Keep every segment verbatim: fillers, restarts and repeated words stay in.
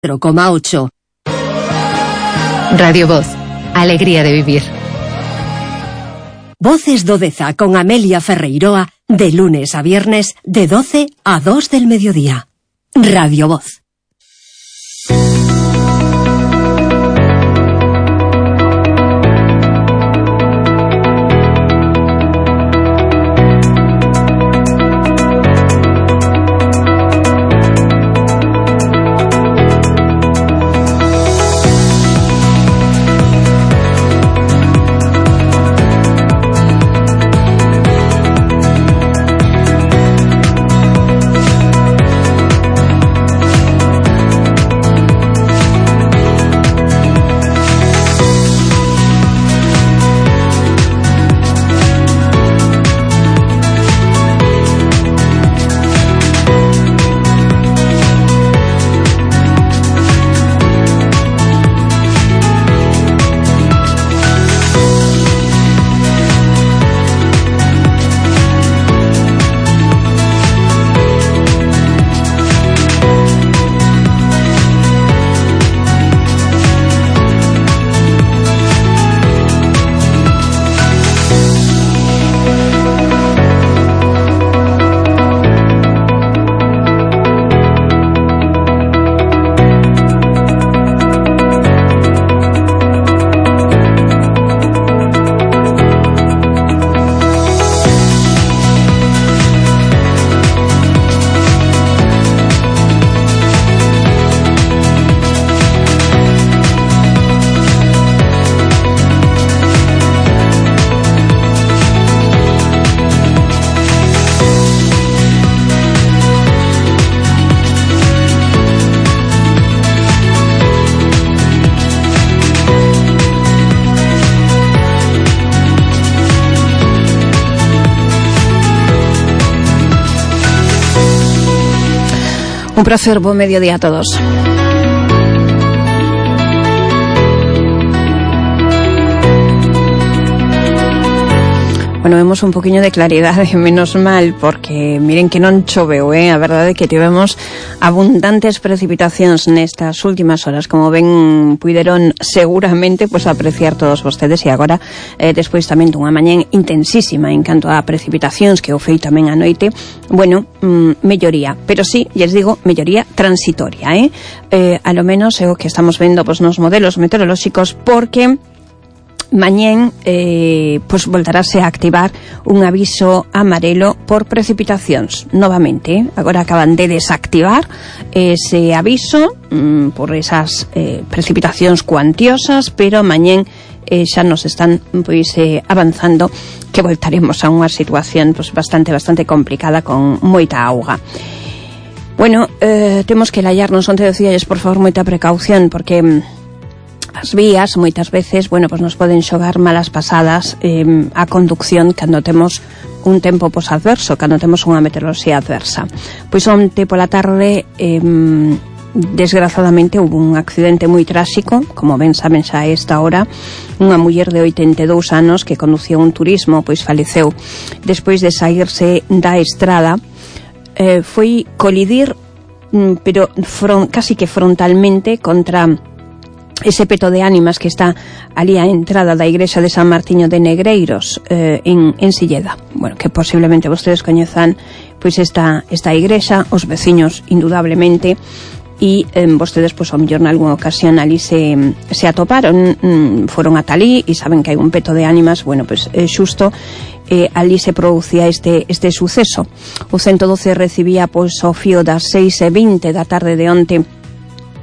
cero coma ocho. Radio Voz, alegría de vivir. Voces do Deza con Amelia Ferreiroa, de lunes a viernes, de doce a dos del mediodía. Radio Voz. Un placer, buen mediodía a todos. Bueno, vemos un poquinho de claridade, menos mal, porque miren que non choveu, eh? A verdade é que tivemos abundantes precipitacións nestas últimas horas, como ben puideron seguramente pues apreciar todos vostedes, e agora, eh, despois tamén dunha mañá intensísima en canto a precipitacións, que o fei tamén a noite, bueno, mm, melloría, pero sí, lles digo, melloría transitoria, eh? eh a lo menos é o que estamos vendo pues, nos modelos meteorolóxicos, porque mañén eh, pues voltarase a activar un aviso amarelo por precipitacións novamente, eh? Agora acaban de desactivar ese aviso mm, por esas eh, precipitacións cuantiosas, pero mañén eh, xa nos están pois eh, avanzando que voltaremos a unha situación pues, bastante bastante complicada con moita auga. Bueno, eh, temos que lallarnos, onte decíalles por favor moita precaución, porque as vías moitas veces, bueno, pues nos poden xogar malas pasadas eh, a conducción cando temos un tempo pos adverso, cando temos unha meteoroloxía adversa. Pois onte pola tarde eh, desgrazadamente houve un accidente moi tráxico, como ben saben xa a esta hora, unha muller de oitenta e dous anos que conducía un turismo, pois faleceu despois de saírse da estrada, eh, foi colidir pero fron, casi que frontalmente contra ese peto de ánimas que está ali á entrada da igrexa de San Martiño de Negreiros, eh, en, en Silleda. Bueno, que posiblemente vostedes coñezan pois esta, esta igrexa, os veciños indudablemente, e eh, vostedes pois ao mellor nalgúna ocasión ali se, se atoparon, mm, foron ata ali e saben que hai un peto de ánimas. Bueno, pois eh, xusto eh, ali se producía este, este suceso. O ciento doce recibía pois ao fío das seis e vinte da tarde de onte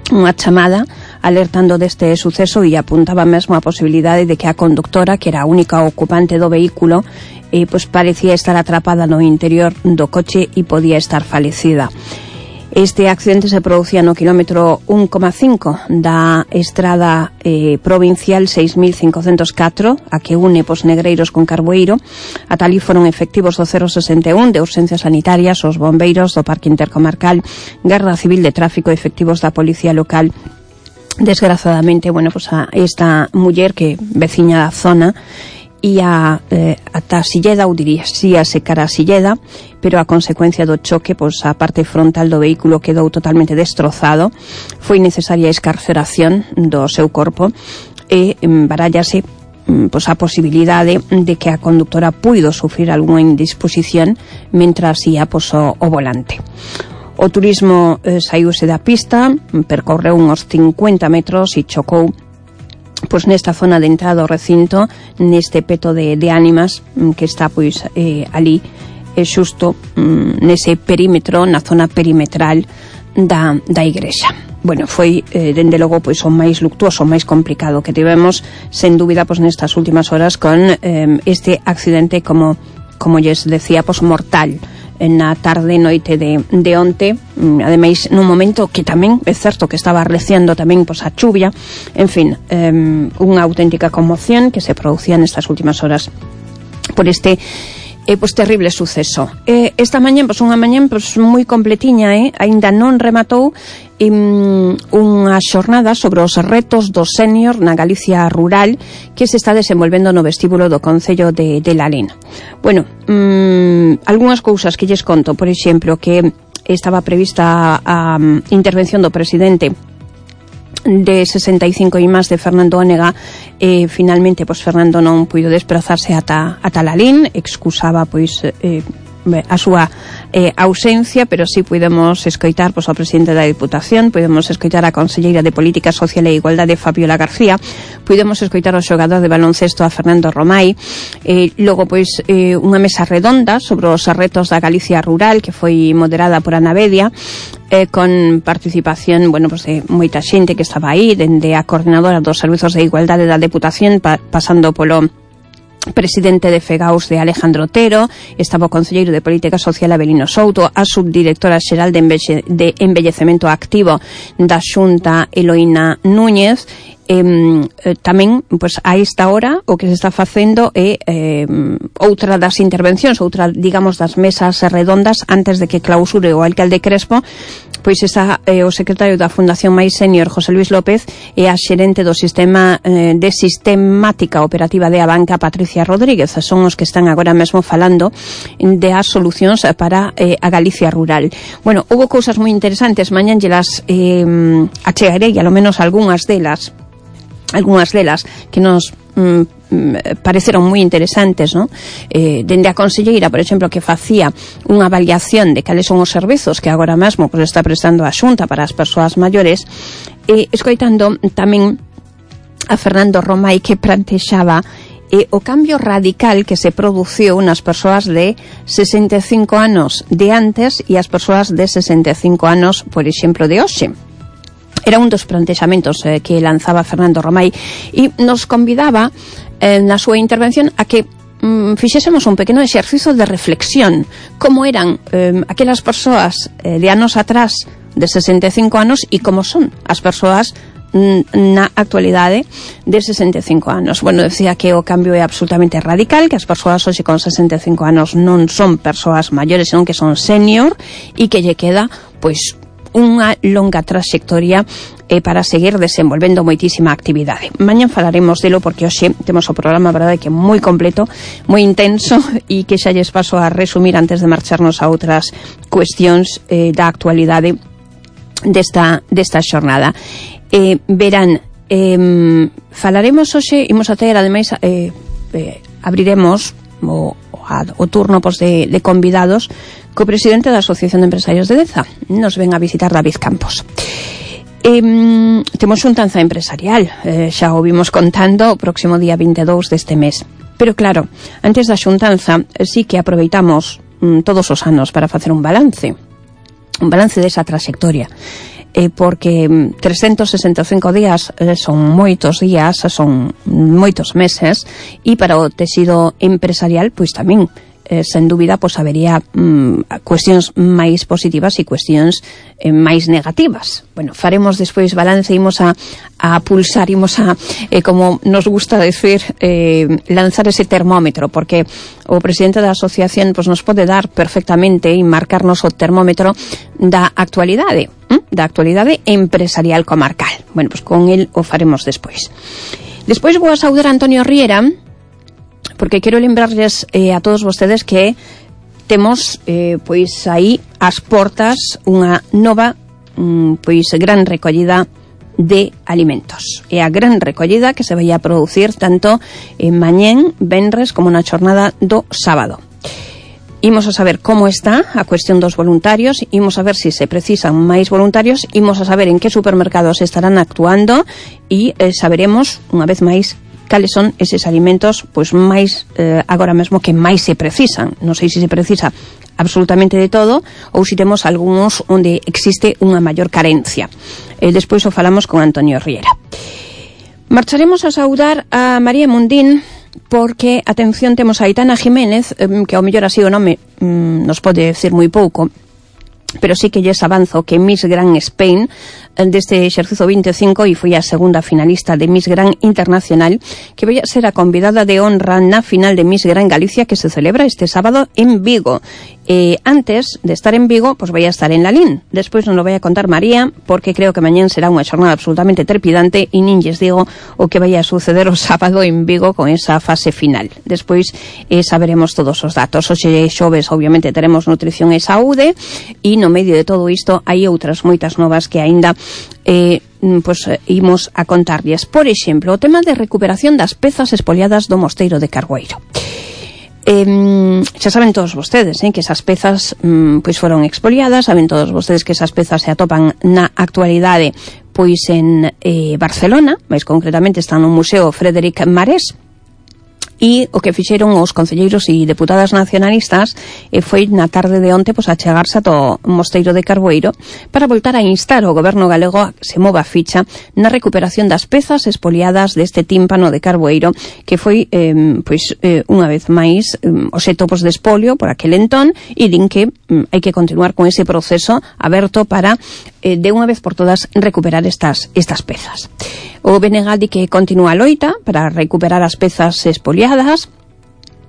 unha chamada alertando deste suceso e apuntaba mesmo a posibilidade de que a conductora, que era a única ocupante do vehículo, eh, pues parecía estar atrapada no interior do coche e podía estar falecida. Este accidente se producía no kilómetro un coma cinco da estrada eh, provincial seis mil cincocentos catro, a que une pos Negreiros con Carboeiro. Ata ali foron efectivos do cero sesenta e un de urxencias sanitarias, os bombeiros do Parque Intercomarcal, Garda Civil de Tráfico, efectivos da Policía Local. Desgraciadamente, bueno, pues a esta muller que veciña da zona ia eh, ata Silleda, ou diríase cara a Silleda, pero a consecuencia do choque, pois a parte frontal do vehículo quedou totalmente destrozado. Foi necesaria a escarceración do seu corpo e barallase pois a posibilidade de que a conductora puido sufrir algunha indisposición mentras ia pois, o, o volante. O turismo eh, saíuse da pista, percorreu uns cincuenta metros e chocou pois nesta zona de entrada ao recinto, neste peto de, de ánimas que está pois eh, ali eh, xusto mm, nese perímetro, na zona perimetral da, da igrexa. Bueno, foi eh, dende logo pois o máis luctuoso, o máis complicado que tivemos, sen dúbida pois nestas últimas horas con eh, este accidente como como lles decía, pois mortal na tarde noite de, de onte, ademais nun momento que tamén é certo que estaba arreciando tamén pois a chuvia, en fin, eh, unha auténtica conmoción que se producía nestas últimas horas por este eh, pois terrible suceso. Eh, esta mañá, pois unha mañá pois moi completiña, eh, aínda non rematou um, unha xornada sobre os retos do sénior na Galicia rural que se está desenvolvendo no vestíbulo do Concello de, de Lalín. Bueno, um, algunhas cousas que lles conto, por exemplo, que estaba prevista a, a intervención do presidente de sesenta e cinco e máis de Fernando Ónega, eh, finalmente pois Fernando non puido desplazarse ata, ata Lalín, excusaba pois eh, a súa eh, ausencia, pero sí podemos escoitar pois ao presidente da Diputación, podemos escoitar a conselleira de Política Social e Igualdade Fabiola García, podemos escoitar ao xogador de baloncesto a Fernando Romai, eh, logo pois eh, unha mesa redonda sobre os retos da Galicia rural que foi moderada por Ana Bedia, eh, con participación, bueno, pues, de moita xente que estaba aí, dende a coordinadora dos servizos de igualdade da Deputación, pa, pasando polo presidente de FEGAUS de Alejandro Otero, estaba o concelleiro de Política Social Abelino Souto, a subdirectora xeral de, Embelle, de Embellecemento Activo da Xunta Eloína Núñez. Eh, eh, tamén, pois, a esta hora o que se está facendo é eh, outra das intervencións, outra, digamos, das mesas redondas antes de que clausure o alcalde Crespo, pois está eh, o secretario da Fundación Mais Senior, José Luis López, e a xerente do sistema eh, de sistemática operativa de Abanca, Patricia Rodríguez. Son os que están agora mesmo falando de as solucións para eh, a Galicia rural. Bueno, houve cousas moi interesantes, mañan las eh, achegarei, alo menos algunhas delas, algunhas delas que nos mm, pareceron moi interesantes, ¿no? Eh, dende a conselleira, por exemplo, que facía unha avaliación de cales son os servizos que agora mesmo pues, está prestando a Xunta para as persoas maiores, e escoitando tamén a Fernando Romai, que plantexaba eh, o cambio radical que se produciu nas persoas de sesenta e cinco anos de antes e as persoas de sesenta e cinco anos, por exemplo, de hoxe. Era un dos plantexamentos eh, que lanzaba Fernando Romai e nos convidaba eh, na súa intervención a que mm, fixésemos un pequeno exercicio de reflexión, como eran eh, aquelas persoas eh, de anos atrás de sesenta e cinco anos e como son as persoas mm, na actualidade de sesenta e cinco anos. Bueno, decía que o cambio é absolutamente radical, que as persoas hoxe con sesenta e cinco anos non son persoas maiores, senón que son senior e que lle queda, pois, unha longa trayectoria eh, para seguir desenvolvendo moitísima actividade. Mañan falaremos delo porque hoxe temos o programa, verdade, que é moi completo, moi intenso e que xa lles paso a resumir antes de marcharnos a outras cuestións eh, da actualidade desta, desta xornada. Eh, verán, eh, falaremos hoxe, imos a ter, ademais, eh, eh, abriremos o, o turno pois, de, de convidados co presidente da Asociación de Empresarios de Deza. Nos ven a visitar David Campos. Eh, temos xuntanza empresarial, eh, xa o vimos contando o próximo día vinte e dous deste mes. Pero claro, antes da xuntanza sí que aproveitamos mm, todos os anos para facer un balance, un balance desa trayectoria. Eh, porque trescentos sesenta e cinco días eh, son moitos días, son moitos meses, e para o tecido empresarial, pois tamén, eh, sen dúbida, pois habería mm, cuestións máis positivas e cuestións eh, máis negativas. Bueno, faremos despois balance, imos a, a pulsar, imos a, eh, como nos gusta decir, eh, lanzar ese termómetro, porque o presidente da asociación pois, nos pode dar perfectamente e marcarnos o termómetro da actualidade, ¿eh? da actualidade empresarial comarcal. Bueno, pois con el o faremos despois. Despois vou a saudar a Antonio Riera, porque quero lembrarles eh, a todos vostedes que temos eh, pois aí as portas unha nova mm, pois gran recollida de alimentos. É a gran recollida que se vai a producir tanto en mañén, venres, como na xornada do sábado. Imos a saber como está a cuestión dos voluntarios, imos a ver se si se precisan máis voluntarios, imos a saber en que supermercados estarán actuando e eh, saberemos, unha vez máis, cales son eses alimentos pois máis eh, agora mesmo que máis se precisan. Non sei se se precisa absolutamente de todo ou se temos algúns onde existe unha maior carencia. Eh, despois o falamos con Antonio Riera. Marcharemos a saudar a María Mundín, porque, atención, temos a Aitana Jiménez, que ao mellor así o nome mm, nos pode decir moi pouco, pero sí que lles avanzo que Miss Grand Spain deste exercizo vinte e cinco e foi a segunda finalista de Miss Grand Internacional, que vai a ser a convidada de honra na final de Miss Grand Galicia que se celebra este sábado en Vigo. Eh, antes de estar en Vigo, pues vai a estar en Lalín. Despois non lo vai a contar María, porque creo que mañán será unha xornada absolutamente trepidante e nin lles digo o que vai a suceder o sábado en Vigo con esa fase final. Despois eh, saberemos todos os datos. Hoxe xoves, obviamente, teremos nutrición e saúde e no medio de todo isto hai outras moitas novas que aínda eh, pues, eh, imos a contarlles. Por exemplo, o tema de recuperación das pezas espoliadas do Mosteiro de Cargueiro. Eh, xa saben todos vostedes eh, que esas pezas mm, pois foron expoliadas, saben todos vostedes que esas pezas se atopan na actualidade pois en eh, Barcelona, máis concretamente están no Museo Frédéric Marès. E o que fixeron os concelleiros e deputadas nacionalistas e foi na tarde de onte pois, a chegarse ao Mosteiro de Carboeiro para voltar a instar o goberno galego a que se mova a ficha na recuperación das pezas espoliadas deste tímpano de Carboeiro que foi, eh, pois, eh, unha vez máis eh, obxecto pois, de espolio por aquel entón e din que eh, hai que continuar con ese proceso aberto para eh, de unha vez por todas recuperar estas, estas pezas. O B N G di que continúa a loita para recuperar as pezas espoliadas,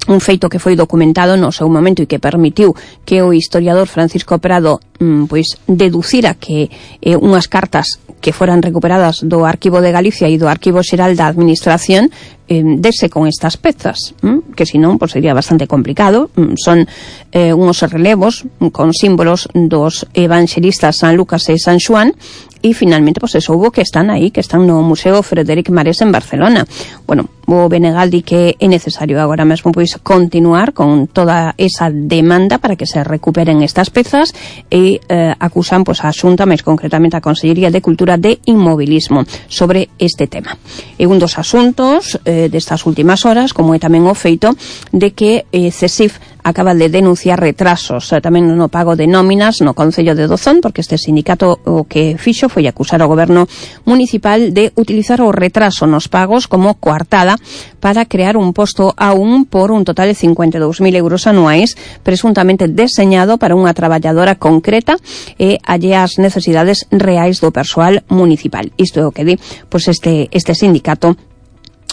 un feito que foi documentado no seu momento e que permitiu que o historiador Francisco Prado mm, pois deducira que eh, unhas cartas que foran recuperadas do Arquivo de Galicia e do Arquivo Xeral da Administración eh, dese con estas pezas, mm, que senón pois, sería bastante complicado. Mm, son eh, unos relevos con símbolos dos evangelistas San Lucas e San Xoán e finalmente pois, eso hubo que están aí, que están no Museo Frédéric Marès en Barcelona. Bueno, o Benegal di que é necesario agora mesmo pois continuar con toda esa demanda para que se recuperen estas pezas e eh, acusan pois a Xunta, máis concretamente a Consellería de Cultura de Inmobilismo sobre este tema. E un dos asuntos eh, destas últimas horas, como é tamén o feito de que eh, CESIF acaba de denunciar retrasos eh, tamén no pago de nóminas no Concello de Dozón, porque este sindicato o que fixo foi acusar ao goberno municipal de utilizar o retraso nos pagos como coartada para crear un posto a un por un total de cincuenta e dous mil euros anuais, presuntamente deseñado para unha traballadora concreta e allea as necesidades reais do persoal municipal. Isto é o que di pois este, este sindicato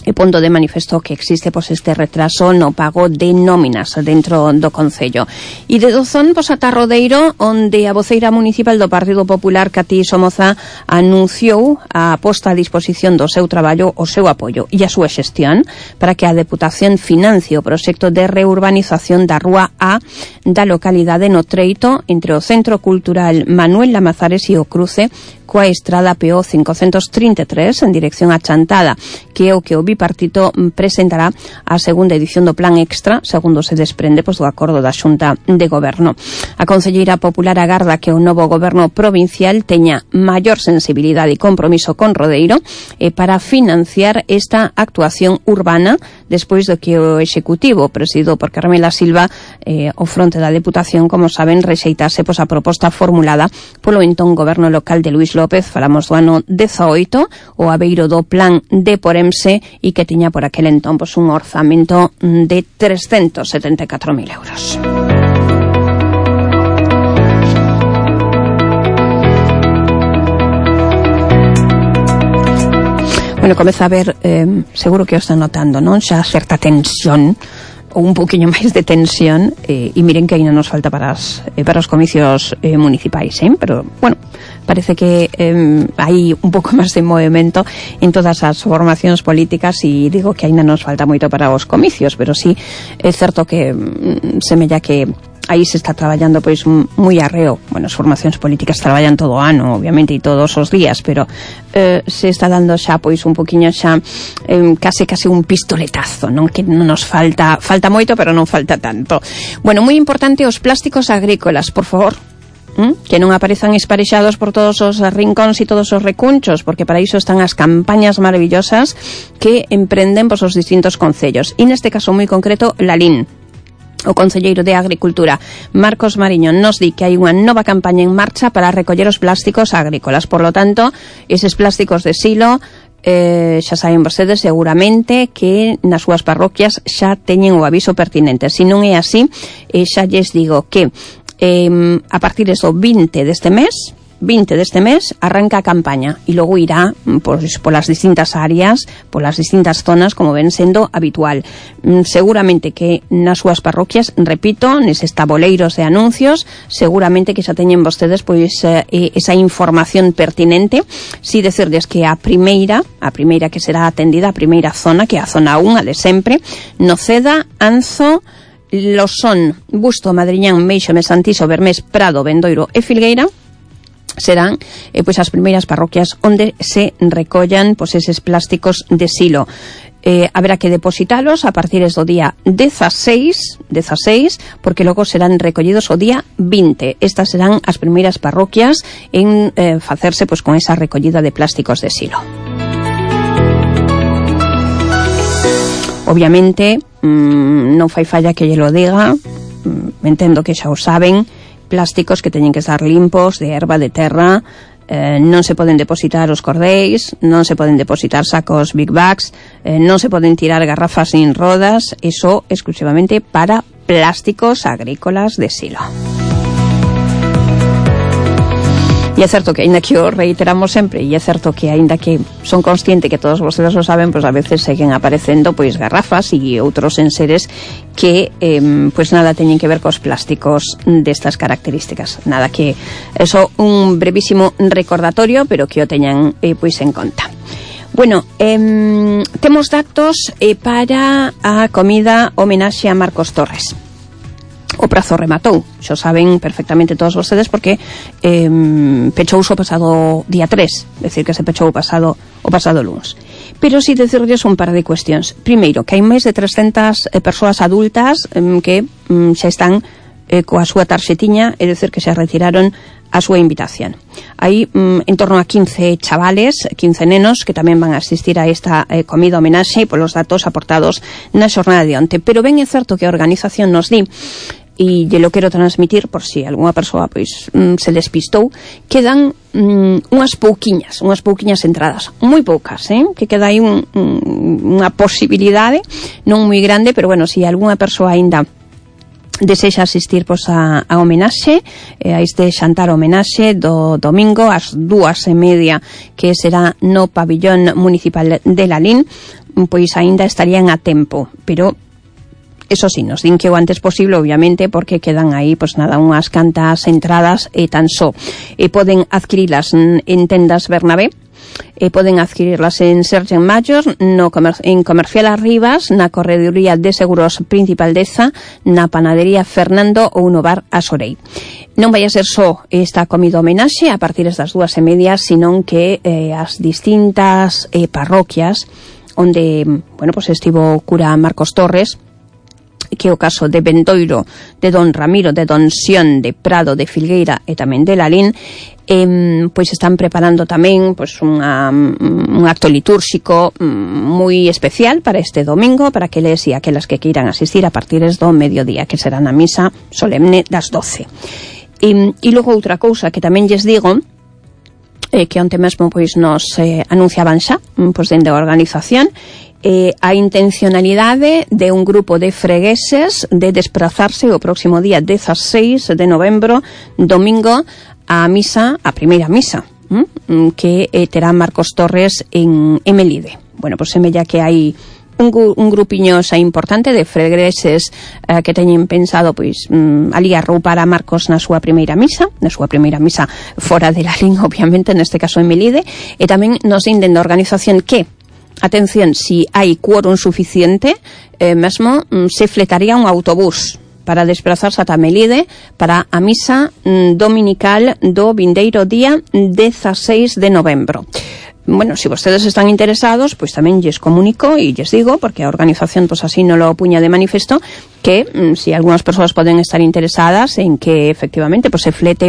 e pondo de manifesto que existe pois este retraso no pago de nóminas dentro do Concello. E de Dozón pois ata Rodeiro, onde a voceira municipal do Partido Popular, Cati Somoza, anunciou a posta a disposición do seu traballo, o seu apoio e a súa xestión para que a Deputación financie o proxecto de reurbanización da Rúa A da localidade no treito entre o Centro Cultural Manuel Lamazares e o cruce coa estrada P O cincocentos trinta e tres en dirección a Chantada, que é o que o bipartito presentará a segunda edición do Plan Extra, segundo se desprende pois, do acordo da Xunta de Goberno. A concelleira popular agarda que o novo goberno provincial teña maior sensibilidade e compromiso con Rodeiro eh, para financiar esta actuación urbana despois do que o Executivo, presidido por Carmela Silva, eh, o fronte da Deputación, como saben, rexeitase pois, a proposta formulada polo entón goberno local de Luís López, falamos do ano dezaoito, o abeiro do plan de Poremse e que tiña por aquel entón pois, un orzamento de trescentos setenta e catro mil euros. Bueno, comeza a ver, eh, seguro que o están notando, non? Xa certa tensión ou un poquinho máis de tensión eh, e miren que ainda nos falta para, as, eh, para os comicios eh, municipais, eh? Pero, bueno, parece que eh, hai un pouco máis de movimento en todas as formacións políticas, e digo que aínda nos falta moito para os comicios, pero sí é certo que mm, semella que aí se está traballando pois moi arreo. Bueno, as formacións políticas traballan todo o ano, obviamente, e todos os días, pero eh, se está dando xa pois un poquinho xa eh, case case un pistoletazo, non, que non nos falta falta moito, pero non falta tanto. Bueno, moi importante os plásticos agrícolas, por favor, ¿Mm? que non aparezan esparexados por todos os rincóns e todos os recunchos, porque para iso están as campañas maravillosas que emprenden pois os distintos concellos, e neste caso moi concreto Lalín. O concelleiro de Agricultura, Marcos Mariño, nos di que hai unha nova campaña en marcha para recoller os plásticos agrícolas. Por lo tanto, eses plásticos de silo, eh, xa saben vostedes seguramente que nas súas parroquias xa teñen o aviso pertinente. Se non é así, eh, xa lles digo que eh, a partir do vinte deste mes, vinte deste mes arranca a campaña, e logo irá pois, polas distintas áreas, polas distintas zonas, como ven sendo habitual. Seguramente que nas súas parroquias, repito, neses taboleiros de anuncios, seguramente que xa teñen vostedes pois eh, esa información pertinente. Si decirles que a primeira, a primeira que será atendida, a primeira zona, que é a zona un, a de sempre, Noceda, Anzo, Losón, Busto, Madriñán, Meixo, Mesantiso, Bermés, Prado, Bendoiro e Filgueira, serán eh, pois as primeiras parroquias onde se recollan pois eses plásticos de silo. Eh, haberá que depositalos a partir do día dieciséis, dieciséis, porque logo serán recollidos o día vinte. Estas serán as primeiras parroquias en eh, facerse pois con esa recollida de plásticos de silo. Obviamente, mmm, non fai falla que lle lo diga, mm, entendo que xa o saben, plásticos que teñen que estar limpos, de erva, de terra, eh, non se poden depositar os cordéis, non se poden depositar sacos big bags, eh, non se poden tirar garrafas sin rodas, eso exclusivamente para plásticos agrícolas de silo. E é certo que, aínda que o reiteramos sempre, e é certo que, aínda que son consciente que todos vostedes o saben, pois a veces seguen aparecendo pois garrafas e outros enseres que, eh, pois nada teñen que ver cos plásticos destas características. Nada, que eso un brevísimo recordatorio, pero que o teñan eh, pois en conta. Bueno, eh, temos datos eh, para a comida homenaxe a Marcos Torres. O prazo rematou, xo saben perfectamente todos vostedes, porque eh, pechouse o pasado día tres, decir que se pechou o pasado o pasado lunes. Pero si decirles un par de cuestións. Primeiro, que hai máis de trescentas eh, persoas adultas eh, que eh, xa están eh, coa súa tarxetiña, é dicir que xa retiraron a súa invitación. Hai mm, en torno a quince chavales, quince nenos que tamén van a asistir a esta eh, comida homenaxe polos datos aportados na xornada de onte. Pero ben é certo que a organización nos di, e lle lo quero transmitir por si algunha persoa pois mm, se despistou, quedan mm, unhas pouquiñas, unhas pouquiñas entradas, moi poucas, eh? que queda aí un, un, unha posibilidade non moi grande, pero bueno, se si algunha persoa aínda desexa asistir pois, a, a homenaxe, eh, a este xantar homenaxe do domingo ás dúas e media, que será no pabillón municipal de Lalín, pois aínda estarían a tempo, pero eso sí, nos din que o antes posible, obviamente, porque quedan aí, pois nada, unhas cantas entradas e tan só. E poden adquirilas en tendas Bernabé, e poden adquirirlas en Sergen Mayos, no comer en Comercial Arribas, na Correduría de Seguros Principal Deza, na Panadería Fernando ou no Bar Asorei. Non vai a ser só esta comida homenaxe a partir das dúas e media, senón que eh, as distintas eh, parroquias onde, bueno, pois estivo o cura Marcos Torres, que é o caso de Bendoiro, de Don Ramiro, de Don Xión, de Prado, de Filgueira e tamén de Lalín, eh, pois están preparando tamén pois unha, un acto litúrxico moi especial para este domingo, para aqueles e aquelas que queiran asistir a partir do mediodía, que será na misa solemne das doce. E, e logo outra cousa que tamén lles digo, eh, que onte mesmo pois nos eh, anunciaban xa, pois dende a organización, Eh, a intencionalidade de un grupo de fregueses de desplazarse o próximo día dieciséis de novembro, domingo, a misa, a primeira misa, hm? que eh, terá Marcos Torres en, en Melide. Bueno, pois semella que hai un, un grupiño xa importante de fregreses eh, que teñen pensado pois mm, ali arroupar a Marcos na súa primeira misa, na súa primeira misa fora de Lalín, obviamente, neste caso en Melide, e tamén nos inden da organización que, atención, si hai quórum suficiente, eh, mesmo mm, se fletaría un autobús para desplazarse ata Melide para a misa mm, dominical do vindeiro día dezaseis de novembro. Bueno, si vostedes están interesados, pois pues tamén lles comunico e lles digo, porque a organización pois pues así non lo puña de manifesto, que mm, si algunhas persoas poden estar interesadas en que efectivamente pois pues, se flete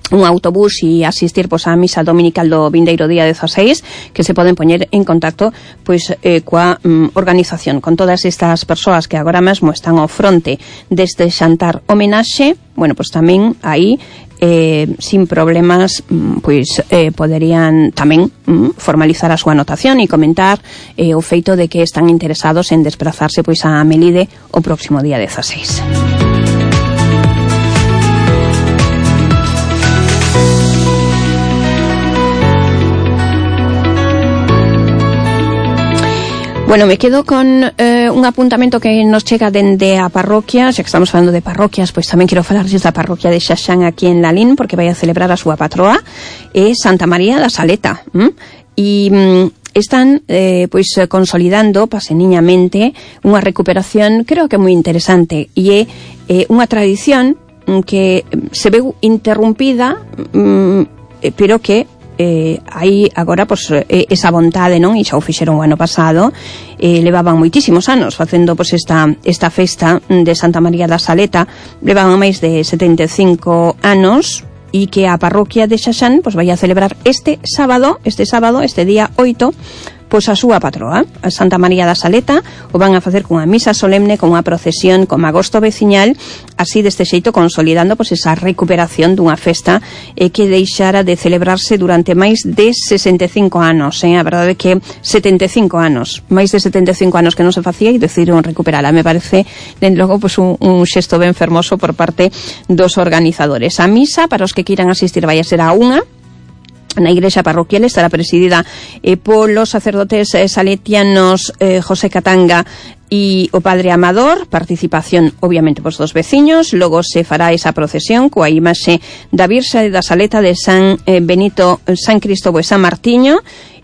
un autobús e asistir pois, a misa dominical do vindeiro día dezaseis, que se poden poñer en contacto pois, eh, coa mm, organización, con todas estas persoas que agora mesmo están ao fronte deste xantar homenaxe. Bueno, pois tamén aí eh, sin problemas pois eh, poderían tamén mm, formalizar a súa anotación e comentar eh, o feito de que están interesados en desplazarse pois a Melide o próximo día dezaseis. Bueno, me quedo con eh, un apuntamento que nos chega dende a parroquia, xa que estamos falando de parroquias, pois tamén quero falarles da parroquia de Xaxán aquí en Lalín, porque vai a celebrar a súa patroa, é Santa María da Saleta. ¿m? E mm, están eh, pois consolidando paseniñamente unha recuperación, creo que moi interesante, e é eh, unha tradición que se veu interrumpida, mm, pero que Eh, aí agora pois, eh, esa vontade, non? E xa o fixeron o ano pasado, eh, levaban moitísimos anos facendo pois, esta, esta festa de Santa María da Saleta, levaban máis de setenta e cinco anos, e que a parroquia de Xaxán pois, vai a celebrar este sábado, este sábado, este día oito, pois a súa patroa, a Santa María da Saleta. O van a facer cunha misa solemne, con unha procesión, con agosto veciñal, así deste xeito consolidando pois esa recuperación dunha festa eh, que deixara de celebrarse durante máis de sesenta e cinco anos, eh? A verdade é que setenta e cinco anos, máis de setenta e cinco anos que non se facía e decidiron recuperala. Me parece, den logo, pois un, un xesto ben fermoso por parte dos organizadores. A misa, para os que queiran asistir, vai a ser a unha, na igrexa parroquial, estará presidida eh, polos sacerdotes eh, saletianos eh, José Catanga e o padre Amador. Participación obviamente pos dos veciños. Logo se fará esa procesión coa imaxe da Virxe da Saleta de San eh, Benito, San Cristóbal e San Martiño.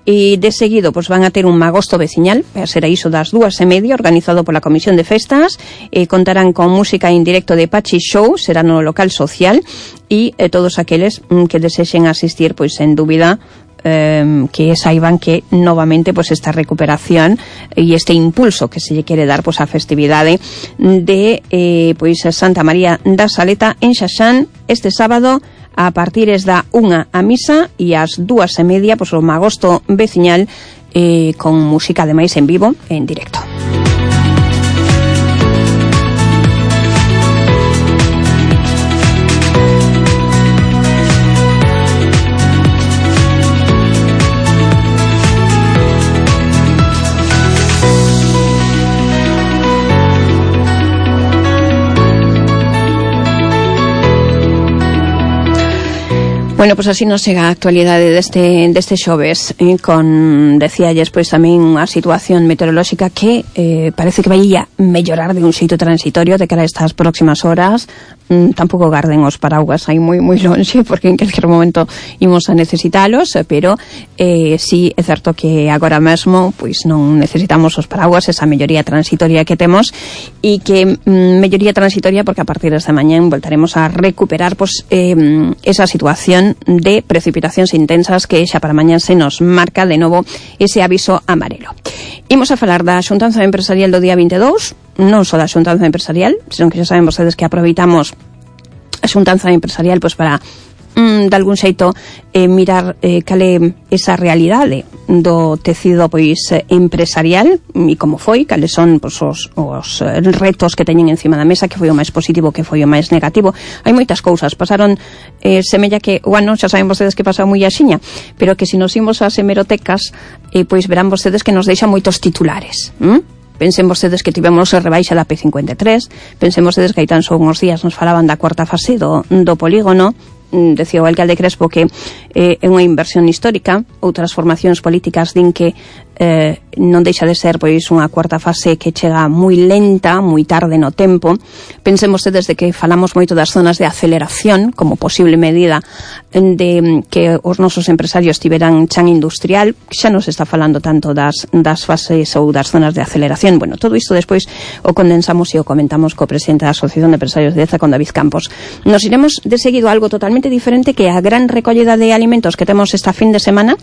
E de seguido pois van a ter un magosto veciñal, será iso das dúas e media, organizado pola Comisión de Festas, e contarán con música en directo de Pachi Show, será no local social, e eh, todos aqueles mm, que desexen asistir, pois en dúbida, eh, que saiban que novamente pois esta recuperación e este impulso que se lle quere dar pois a festividade de eh, pois Santa María da Saleta en Xaxán este sábado, a partires da unha a misa e ás dúas e media pois o magosto veciñal eh, con música ademais en vivo en directo. Bueno, pois pues así nos chega a actualidade deste, deste xoves, eh, con, decíalles, pois tamén unha situación meteorolóxica que eh, parece que vai a mellorar de un xeito transitorio de cara a estas próximas horas. Mm, tampouco garden os paraguas aí moi moi lonxe, porque en calquer momento imos a necesitalos, pero eh, sí é certo que agora mesmo pois non necesitamos os paraguas, esa melloría transitoria que temos, e que mm, melloría transitoria porque a partir desta mañán voltaremos a recuperar pois eh, esa situación de precipitacións intensas que xa para mañán se nos marca de novo ese aviso amarelo. Imos a falar da xuntanza empresarial do día vinte e dous, non só da xuntanza empresarial, senón que xa saben vostedes que aproveitamos a xuntanza empresarial pois para mm, de algún xeito eh, mirar eh, cale esa realidade do tecido pois empresarial e como foi, cales son pois, os, os retos que teñen encima da mesa, que foi o máis positivo, que foi o máis negativo. Hai moitas cousas, pasaron eh, semella que o ano, xa saben vostedes que pasou moi axiña, pero que se nos imos ás hemerotecas eh, pois verán vostedes que nos deixa moitos titulares. ¿Mm? Pensen vostedes que tivemos a rebaixa da P cincuenta e tres, pensen vostedes que hai tan só uns días nos falaban da cuarta fase do, do polígono, decía o alcalde Crespo que eh, é unha inversión histórica. Outras formacións políticas din que eh, non deixa de ser pois unha cuarta fase que chega moi lenta, moi tarde no tempo. Pensemos desde que falamos moito das zonas de aceleración como posible medida de que os nosos empresarios tiveran chan industrial, xa non se está falando tanto das, das fases ou das zonas de aceleración. Bueno, todo isto despois o condensamos e o comentamos co presidente da Asociación de Empresarios de Deza, con David Campos. Nos iremos de seguido a algo totalmente diferente, que é a gran recollida de alimentos que temos esta fin de semana,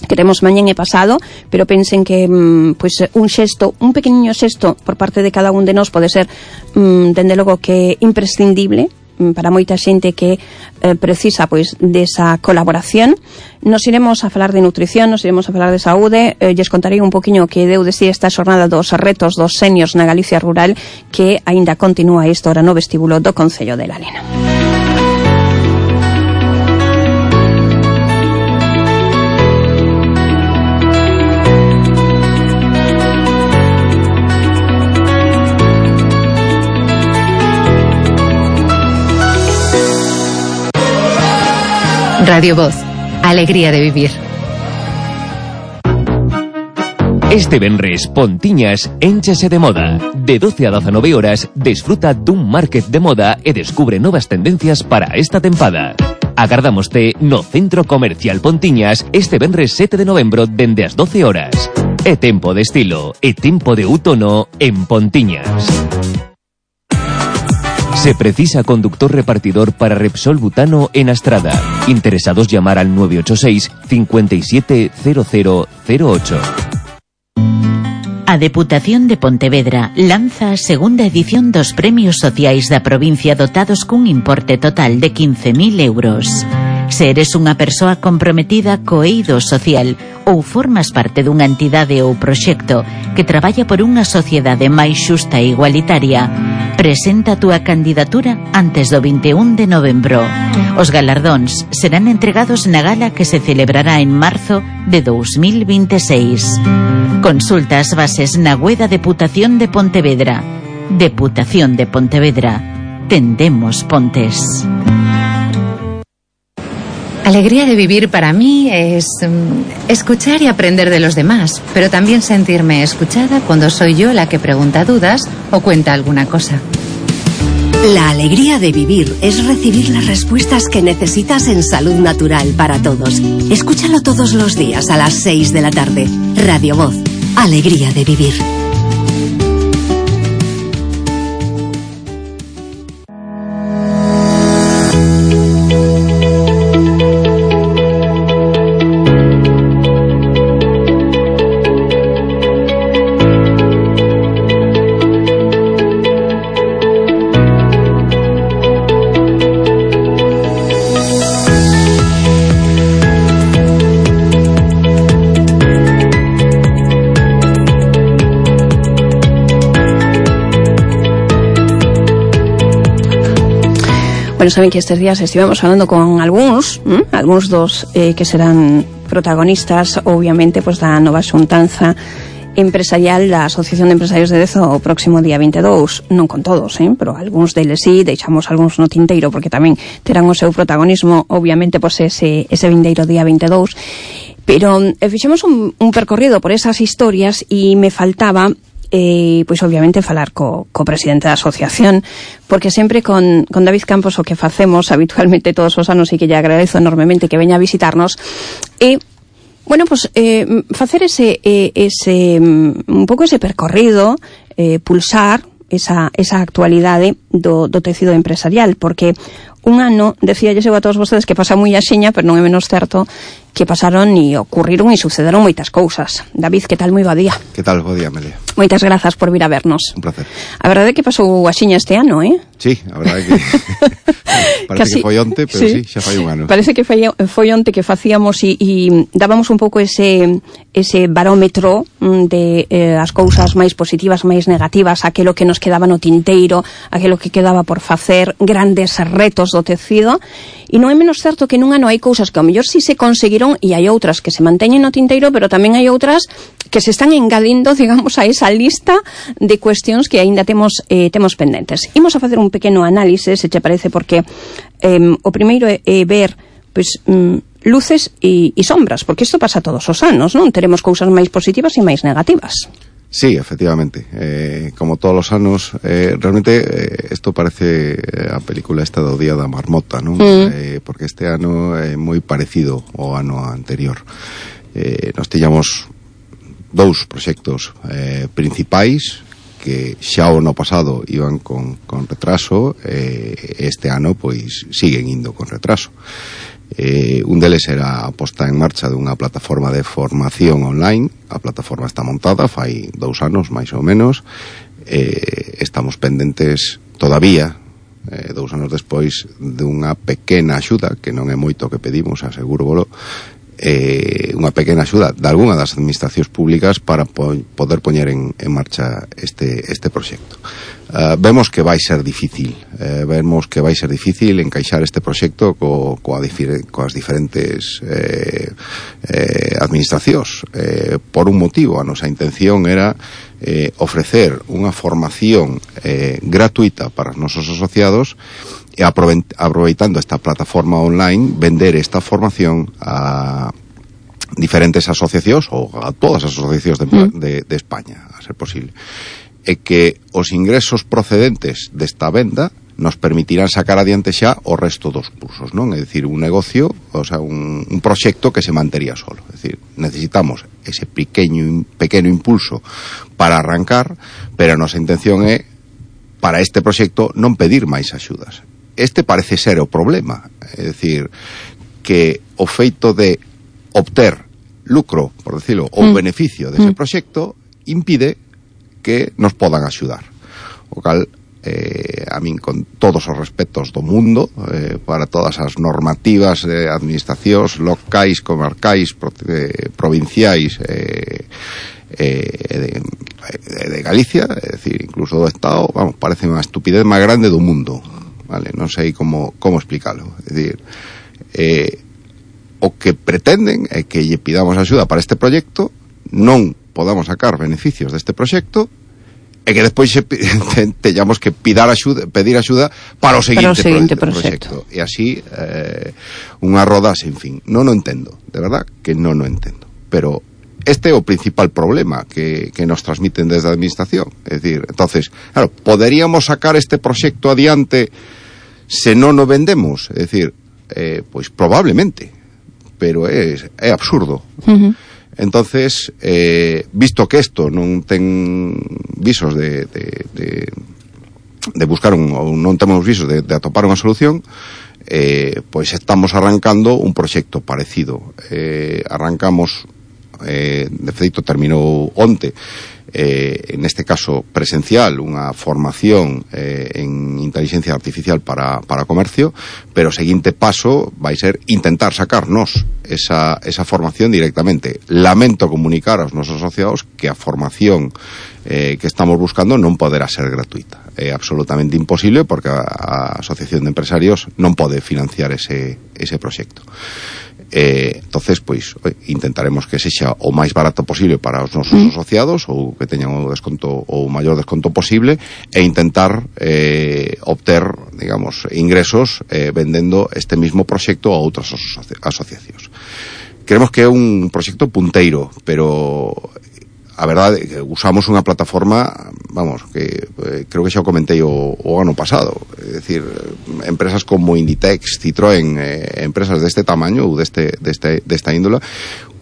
que temos mañán e pasado, pero pensen que pois un xesto, un pequeniño xesto por parte de cada un de nós pode ser, dende logo, que imprescindible para moita xente que eh, precisa pois desa colaboración. Nos iremos a falar de nutrición, nos iremos a falar de saúde, eh, lles contarei un poquinho que deu de si esta xornada dos retos dos seniors na Galicia rural, que aínda continúa esta hora no vestíbulo do Concello de Lalena. Radio Voz, alegría de vivir. Este venres, Pontiñas énchese de moda. De doce a dezanove horas, desfruta dun market de moda e descubre novas tendencias para esta tempada. Agardámoste no Centro Comercial Pontiñas este venres sete de novembro dende as doce horas. É tempo de estilo, é tempo de outono en Pontiñas. Se precisa conductor repartidor para Repsol Butano en Astrada. Interesados, llamar al nueve ocho seis, cinco siete cero cero cero ocho. A Deputación de Pontevedra lanza a segunda edición dos Premios Sociais da provincia, dotados cun importe total de quince mil euros. Se eres unha persoa comprometida co eido social ou formas parte dunha entidade ou proxecto que traballa por unha sociedade máis xusta e igualitaria, presenta a túa candidatura antes do vinte e un de novembro. Os galardóns serán entregados na gala que se celebrará en marzo de dous mil vinte e seis. Consulta as bases na web da Deputación de Pontevedra. Deputación de Pontevedra. Tendemos pontes. Alegría de vivir para mí es um, escuchar y aprender de los demás, pero también sentirme escuchada cuando soy yo la que pregunta dudas o cuenta alguna cosa. La alegría de vivir es recibir las respuestas que necesitas en Salud Natural para Todos. Escúchalo todos los días a las seis de la tarde. Radio Voz. Alegría de vivir. Bueno, saben que estes días estivemos falando con algúns, ¿m? algúns dos eh, que serán protagonistas, obviamente, pues, da nova xuntanza empresarial da Asociación de Empresarios de Deza o próximo día vinte e dous. Non con todos, eh? pero algúns deles sí, deixamos algúns no tinteiro porque tamén terán o seu protagonismo, obviamente, pues, ese, ese vindeiro día vinte e dous. Pero eh, fixemos un, un percorrido por esas historias e me faltaba eh, pois obviamente falar co, co presidente da asociación, porque sempre con, con David Campos o que facemos habitualmente todos os anos, e que lle agradezo enormemente que veña a visitarnos, e bueno, pues eh, facer ese, eh, ese un pouco ese percorrido, eh, pulsar esa, esa actualidade do, do tecido empresarial, porque un ano, decía eu a todos vostedes que pasa moi axiña, pero non é menos certo que pasaron e ocurriron e sucederon moitas cousas. David, que tal? Moi bo día. Que tal? Bo día, Amelia. Moitas grazas por vir a vernos. Un placer. A verdade é que pasou axiña este ano, eh? Sí, a verdade é que parece Casi, que foi onte, pero sí, sí, xa fai un ano. Parece que foi, foi onte que facíamos e, e dábamos un pouco ese ese barómetro de eh, as cousas máis positivas, máis negativas, aquelo que nos quedaba no tinteiro, aquelo que quedaba por facer, grandes retos do tecido. E non é menos certo que nun ano hai cousas que ao mellor si se conseguiron tinteiro e hai outras que se manteñen no tinteiro, pero tamén hai outras que se están engadindo, digamos, a esa lista de cuestións que aínda temos eh, temos pendentes. Imos a facer un pequeno análise, se che parece, porque eh, o primeiro é, é ver pois, mm, luces e, e sombras, porque isto pasa todos os anos, non? Teremos cousas máis positivas e máis negativas. Sí, efectivamente. Eh, como todos los anos, eh, realmente eh, esto parece a película esta do Día da Marmota, non? Mm. Eh, porque este ano é moi parecido ao ano anterior. Eh, nos tiñamos dous proxectos eh, principais que xa o ano pasado iban con, con retraso, eh, este ano pois siguen indo con retraso. Eh, un deles era a posta en marcha dunha plataforma de formación online. A plataforma está montada fai dous anos máis ou menos. Eh, estamos pendentes todavía, eh, dous anos despois, dunha pequena axuda, que non é moito que pedimos, aseguro volo, eh, unha pequena axuda de algunha das administracións públicas para po poder poñer en, en marcha este, este proxecto. Uh, vemos que vai ser difícil, eh, vemos que vai ser difícil encaixar este proxecto co, coa difer coas diferentes eh, eh, administracións. Eh, por un motivo, a nosa intención era eh, ofrecer unha formación eh, gratuita para os nosos asociados e aproveitando esta plataforma online, vender esta formación a diferentes asociacións ou a todas as asociacións de, mm. de, de España, a ser posible. E que os ingresos procedentes desta venda nos permitirán sacar adiante xa o resto dos cursos, non? É dicir, un negocio, o sea, un, un proxecto que se mantería solo. É dicir, necesitamos ese pequeño, pequeno impulso para arrancar, pero a nosa intención é, para este proxecto, non pedir máis axudas. Este parece ser o problema. É dicir, que o feito de obter lucro, por decirlo, ou mm. beneficio dese mm. proxecto, impide que nos podan axudar. O cal, eh, a min, con todos os respetos do mundo, eh, para todas as normativas de administracións locais, comarcais, pro, eh, provinciais, eh, eh, de, de Galicia, é dicir, incluso do Estado, vamos, parece unha estupidez máis grande do mundo, vale? Non sei como, como explicarlo. É dicir, eh, o que pretenden é que lle pidamos axuda para este proxecto, non podamos sacar beneficios deste proxecto e que despois teñamos que pidar axuda, pedir axuda para o seguinte, para o seguinte proxecto. E así eh, unha roda sin fin. Non o entendo, de verdad que non o entendo. Pero este é o principal problema que, que nos transmiten desde a administración. É dicir, entonces, claro, poderíamos sacar este proxecto adiante se non o vendemos? É dicir, eh, pois probablemente, pero é, é absurdo. Uh-huh. Entonces, eh, visto que isto non ten visos de, de, de, de buscar un, ou non temos visos de, de atopar unha solución, eh, pois estamos arrancando un proxecto parecido. Eh, arrancamos, eh, de feito terminou onte, eh, en este caso presencial, unha formación eh, en inteligencia artificial para, para comercio, pero o seguinte paso vai ser intentar sacarnos esa, esa formación directamente. Lamento comunicar aos nosos asociados que a formación eh, que estamos buscando non poderá ser gratuita. É absolutamente imposible porque a, a Asociación de Empresarios non pode financiar ese, ese proxecto. Eh, entonces, pois, intentaremos que sexa o máis barato posible para os nosos mm. asociados, ou que teñan o desconto, o maior desconto posible, e intentar eh, obter, digamos, ingresos eh, vendendo este mismo proxecto a outras asoci asociacións. Creemos que é un proxecto punteiro, pero a verdade é que usamos unha plataforma, vamos, que eh, creo que xa o comentei o, o ano pasado, é dicir, empresas como Inditex, Citroën, eh, empresas deste tamaño ou deste, deste, desta índola,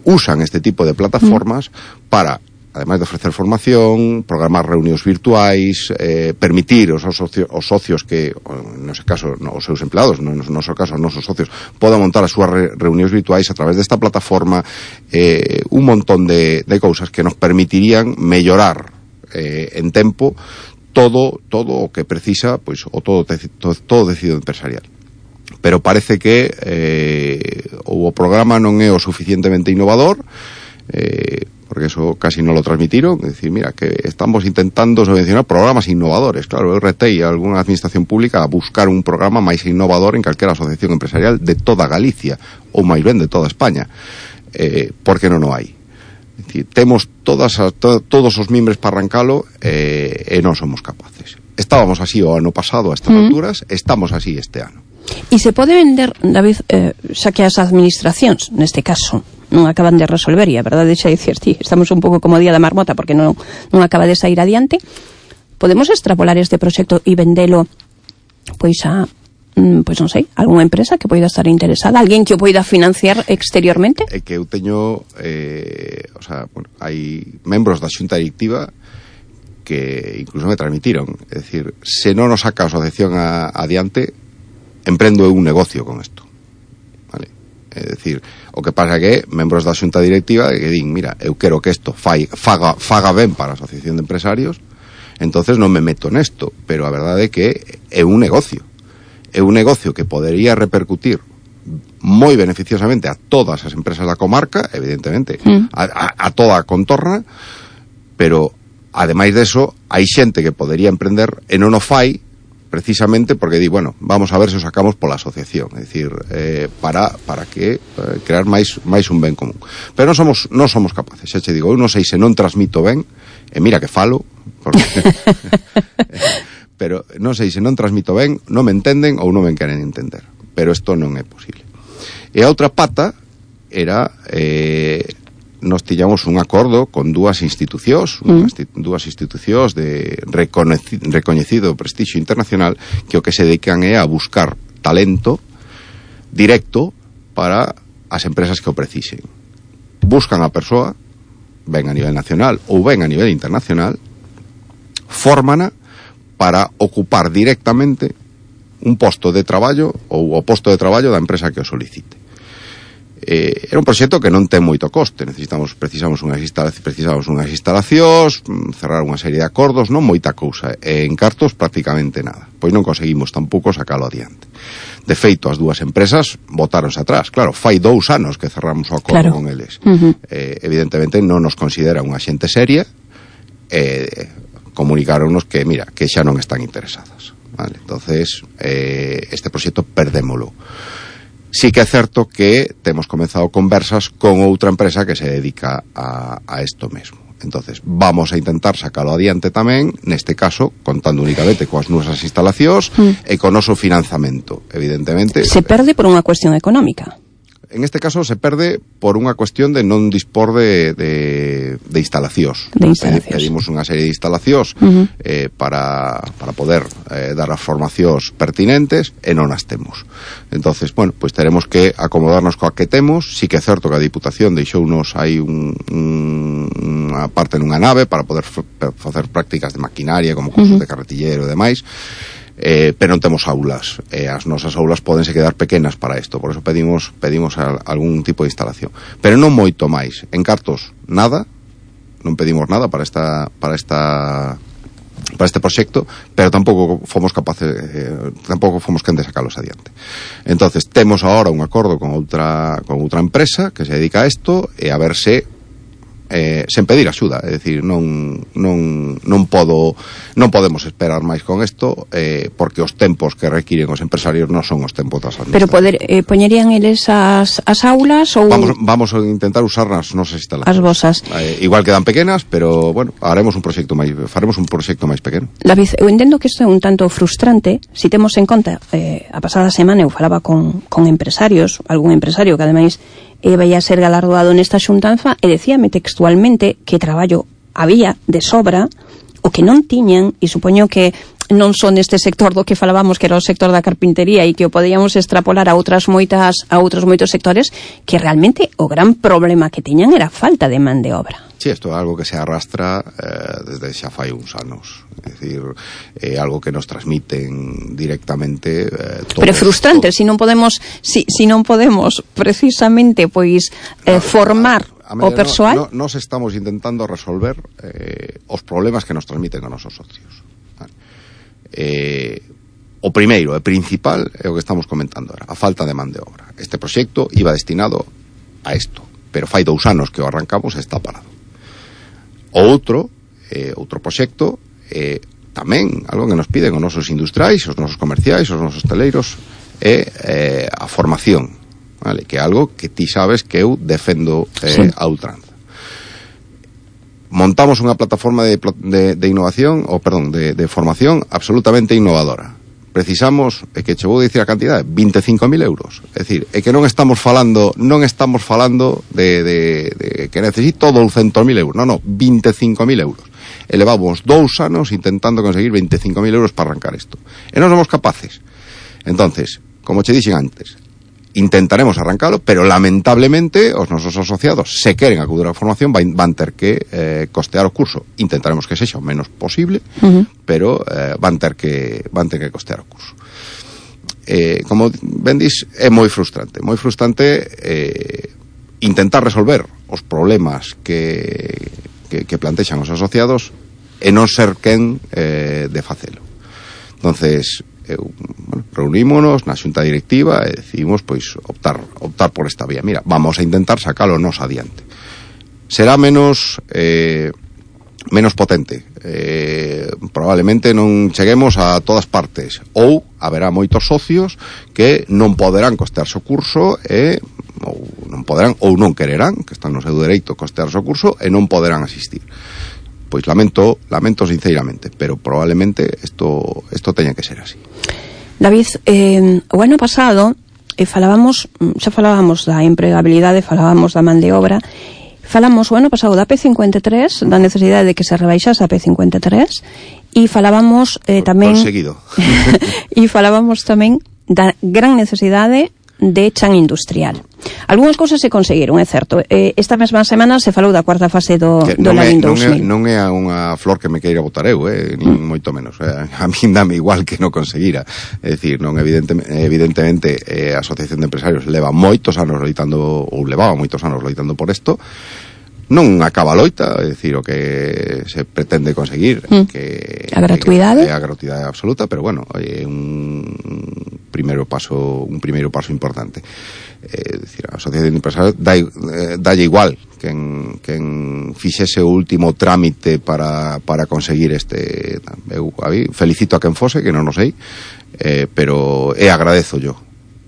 usan este tipo de plataformas mm. para, ademais de ofrecer formación, programar reunións virtuais, eh, permitir aos socios, os socios que, no ese caso, no, os seus empleados, no, no noso caso, os nosos socios, podan montar as súas re, reunións virtuais a través desta plataforma, eh, un montón de, de cousas que nos permitirían mellorar eh, en tempo todo todo o que precisa, pois, o todo, todo, todo decido empresarial. Pero parece que eh, o programa non é o suficientemente innovador, eh, porque eso casi no lo transmitieron, es decir, mira, que estamos intentando subvencionar programas innovadores. Claro, eu retei a alguna administración pública a buscar un programa máis innovador en calquera asociación empresarial de toda Galicia, ou máis ben de toda España, eh, porque non o hai. Es decir, temos todas a, to, todos os mimbres para arrancalo eh, e non somos capaces. Estábamos así o ano pasado a estas mm. alturas, estamos así este ano. E se pode vender, David, eh, xa que as administracións, neste caso, non acaban de resolver, e a verdade xa dicir, tí, estamos un pouco como día da marmota porque non, non acaba de sair adiante, podemos extrapolar este proxecto e vendelo pois a, pois non sei, algunha empresa que poida estar interesada, alguén que o poida financiar exteriormente? É que eu teño eh, o sea, bueno, hai membros da xunta directiva que incluso me transmitiron, é dicir, se non nos saca a asociación a, adiante, emprendo eu un negocio con isto. Vale? É dicir, o que pasa que membros da xunta directiva que din, mira, eu quero que isto fai, faga, faga ben para a asociación de empresarios, entonces non me meto nesto, pero a verdade é que é un negocio. É un negocio que podería repercutir moi beneficiosamente a todas as empresas da comarca, evidentemente, mm. a, a, a toda a contorna, pero ademais deso, hai xente que podería emprender e non o fai precisamente porque di, bueno, vamos a ver se o sacamos pola asociación, é dicir, eh, para para que eh, crear máis máis un ben común. Pero non somos non somos capaces, xa che digo, eu non sei se non transmito ben, e mira que falo, porque pero non sei se non transmito ben, non me entenden ou non me queren entender, pero isto non é posible. E a outra pata era eh, nos tiñamos un acordo con dúas institucións, mm. dúas institucións de recoñecido, recoñecido prestixio internacional que o que se dedican é a buscar talento directo para as empresas que o precisen. Buscan a persoa, ben a nivel nacional ou ben a nivel internacional, fórmana para ocupar directamente un posto de traballo ou o posto de traballo da empresa que o solicite. Eh, era un proxecto que non ten moito coste, necesitamos precisamos unhas instalacións, precisamos unhas instalacións, cerrar unha serie de acordos, non moita cousa, e en cartos prácticamente nada. Pois non conseguimos tampouco sacalo adiante. De feito, as dúas empresas botáronse atrás. Claro, fai dous anos que cerramos o acordo claro. con eles. Uh-huh. Eh, evidentemente non nos considera unha xente seria, eh, comunicáronnos que, mira, que xa non están interesadas. Vale, entonces, eh, este proxecto perdémolo. Sí que é certo que temos comezado conversas con outra empresa que se dedica a, a esto mesmo. Entonces, vamos a intentar sacalo adiante tamén, neste caso, contando únicamente coas nosas instalacións mm. e con noso financiamento, evidentemente. Se perde por unha cuestión económica. En este caso se perde por unha cuestión de non dispor de, de, de instalacións. De instalacións. Pedimos unha serie de instalacións uh-huh. eh, para, para poder eh, dar as formacións pertinentes e non as temos. Entonces, bueno, pues teremos que acomodarnos coa que temos. Sí que é certo que a Diputación deixounos aí un, un, unha parte nunha nave para poder f- facer prácticas de maquinaria como cursos uh-huh. de carretillero e demais. Eh, pero non temos aulas, eh, as nosas aulas pódense quedar pequenas para isto, por eso pedimos pedimos a, algún tipo de instalación, pero non moito máis. En cartos nada, non pedimos nada para esta para esta para este proxecto, pero tampouco fomos capaces eh, tampouco fomos quen de sacalos adiante. Entonces temos agora un acordo con outra con outra empresa que se dedica a isto e a ver se Eh, sen pedir axuda, é dicir, non non non podo non podemos esperar máis con isto, eh, porque os tempos que requiren os empresarios non son os tempos das administracións. Pero poder eh, poñerían eles as, as aulas ou vamos vamos a intentar usar nas nosas instalacións. As vosas. Eh, igual quedan pequenas, pero bueno, haremos un proxecto máis faremos un proxecto máis pequeno. David, eu entendo que isto é un tanto frustrante, si temos en conta eh, a pasada semana eu falaba con con empresarios, algún empresario que ademais e vai a ser galardoado nesta xuntanza e decíame textualmente que traballo había de sobra, o que non tiñan, e supoño que non son neste sector do que falábamos, que era o sector da carpintería, e que o podíamos extrapolar a outras moitas a outros moitos sectores, que realmente o gran problema que tiñan era a falta de man de obra. Sí, isto é algo que se arrastra eh, desde xa fai uns anos. É dicir, é algo que nos transmiten directamente eh, todos, pero é frustrante, todos. si non podemos si, si non podemos precisamente pois eh, formar a, a o persoal. No, no, nos estamos intentando resolver eh, os problemas que nos transmiten a nosos socios. Vale. Eh, o primeiro e principal é o que estamos comentando ahora, a falta de man de obra. Este proxecto iba destinado a isto, pero fai dous anos que o arrancamos e está parado. outro, eh, outro proxecto, eh, tamén, algo que nos piden os nosos industriais, os nosos comerciais, os nosos teleiros, é eh, a formación, vale? Que é algo que ti sabes que eu defendo eh, sí. a ultranza. Montamos unha plataforma de, de, de innovación, ou perdón, de, de formación absolutamente innovadora. Precisamos, é que che vou dicir a cantidade, vinte e cinco mil euros. É dicir, é que non estamos falando, non estamos falando de, de, de que necesito douscentos mil euros. Non, non, vinte e cinco mil euros. E levamos dous anos intentando conseguir vinte e cinco mil euros para arrancar isto. E non somos capaces. Entonces, como che dixen antes, intentaremos arrancalo, pero lamentablemente os nosos asociados, se queren acudir á formación, van, van ter que eh, costear o curso. Intentaremos que sexa o menos posible, uh-huh. pero eh, van ter que van ter que costear o curso. Eh, como ben dis, é moi frustrante, moi frustrante eh, intentar resolver os problemas que, que, que plantexan os asociados e non ser quen eh, de facelo. Entonces, eu, bueno, reunímonos na xunta directiva e decidimos pois optar optar por esta vía. Mira, vamos a intentar sacalo nos adiante. Será menos eh, menos potente. Eh, probablemente non cheguemos a todas partes, ou haberá moitos socios que non poderán costearse o curso e ou non poderán ou non quererán, que están no seu dereito costearse o curso e non poderán asistir. Pois lamento, lamento sinceramente, pero probablemente isto isto teña que ser así. David, eh, o ano pasado eh, falábamos, xa falábamos da empregabilidade, falábamos da man de obra, falamos o ano pasado da P cincuenta e tres, da necesidade de que se rebaixase a P cincuenta e tres, e falábamos eh, tamén conseguido. e falábamos tamén da gran necesidade de chan industrial. Algúnas cousas se conseguiron, é certo. Eh, esta mesma semana se falou da cuarta fase do, do Lavín dous mil. Non é, non é unha flor que me queira botar eu, eh, nin mm. moito menos. Eh, a min dame igual que non conseguira. É dicir, non evidentemente, evidentemente eh, a Asociación de Empresarios leva moitos anos loitando, ou levaba moitos anos loitando por isto. Non acaba a loita, é dicir, o que se pretende conseguir mm. que a gratuidade é a gratuidade absoluta, pero bueno, é un primeiro paso, un primeiro paso importante. É dicir, a Asociación de Empresarios dá, eh, dalle igual quen, quen fixese o último trámite para, para conseguir este. Eu a mí, felicito a quen fose, que non o sei, eh, pero e agradezo yo,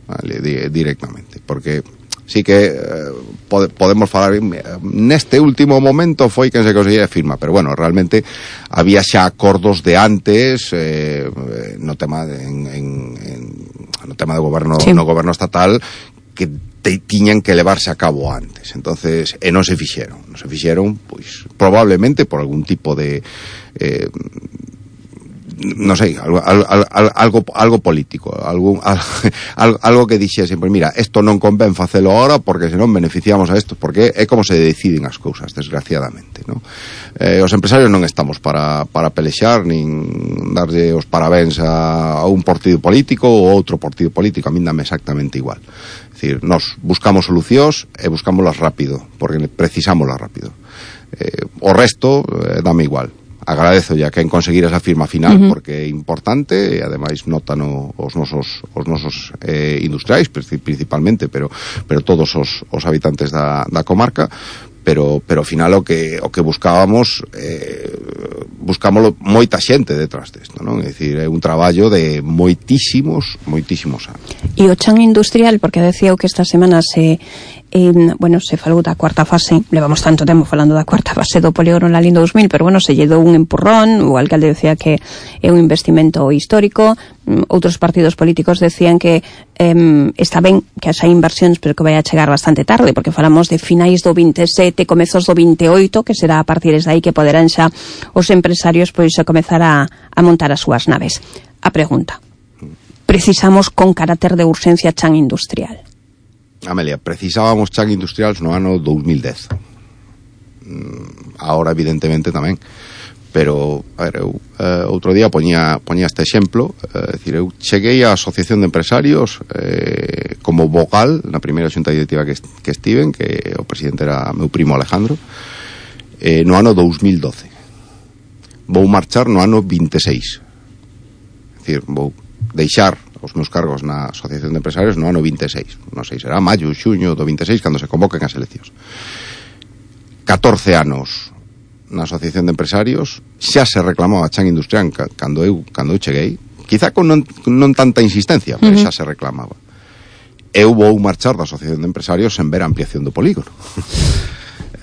vale, di, directamente, porque sí que eh, pode, podemos falar neste último momento foi quen se conseguía firma, pero bueno, realmente había xa acordos de antes eh, no tema de, en, en, en, no tema de goberno, sí. no goberno estatal, que te, tiñan que levarse a cabo antes. Entonces, e non se fixeron, non se fixeron, pois probablemente por algún tipo de eh, non sei, algo, algo, algo político, algo, algo, algo que dixese, pues mira, isto non convén facelo ahora porque senón beneficiamos a isto, porque é como se deciden as cousas, desgraciadamente, ¿no? Eh, os empresarios non estamos para, para pelexar nin darlle os parabéns a, a un partido político ou outro partido político, a min dame exactamente igual. É dicir, nos buscamos solucións e buscámoslas rápido, porque precisámoslas rápido. Eh, o resto eh, dame igual. Agradezo ya que en conseguir esa firma final, uh-huh. porque é importante e ademais notano os nosos os nosos eh, industriais principalmente, pero pero todos os, os habitantes da, da comarca, pero pero ao final o que o que buscábamos eh, buscámoslo moita xente detrás desto, non? É dicir, é un traballo de moitísimos, moitísimos anos. E o chan industrial, porque decía eu que esta semana se eh, bueno, se falou da cuarta fase, levamos tanto tempo falando da cuarta fase do polígono Lalín dous mil, pero bueno, se lle dou un empurrón, o alcalde decía que é un investimento histórico, outros partidos políticos decían que eh, está ben que haxa inversións, pero que vai a chegar bastante tarde, porque falamos de finais do vinte e sete, comezos do vinte e oito, que será a partir de aí que poderán xa os empresarios pois a comezar a, a montar as súas naves. A pregunta: precisamos con carácter de urxencia chan industrial? Amelia, precisábamos chan industriales no ano dous mil dez. Ahora evidentemente tamén, pero a ver, eu eh, outro día poñía, poñía este exemplo, eh, decir, eu cheguei á Asociación de Empresarios eh, como vogal na primeira xunta directiva que, que estiven, que o presidente era meu primo Alejandro, eh, no ano dous mil doce. Vou marchar no ano vinte e seis. É dicir, vou deixar os meus cargos na Asociación de Empresarios no ano vinte e seis. Non sei, será maio, xuño do vinte e seis cando se convoquen as eleccións. catorce anos na Asociación de Empresarios xa se reclamaba a chan industrial cando eu, cando eu cheguei, quizá con non, non tanta insistencia, pero uh-huh. xa se reclamaba. Eu vou marchar da Asociación de Empresarios sen ver a ampliación do polígono.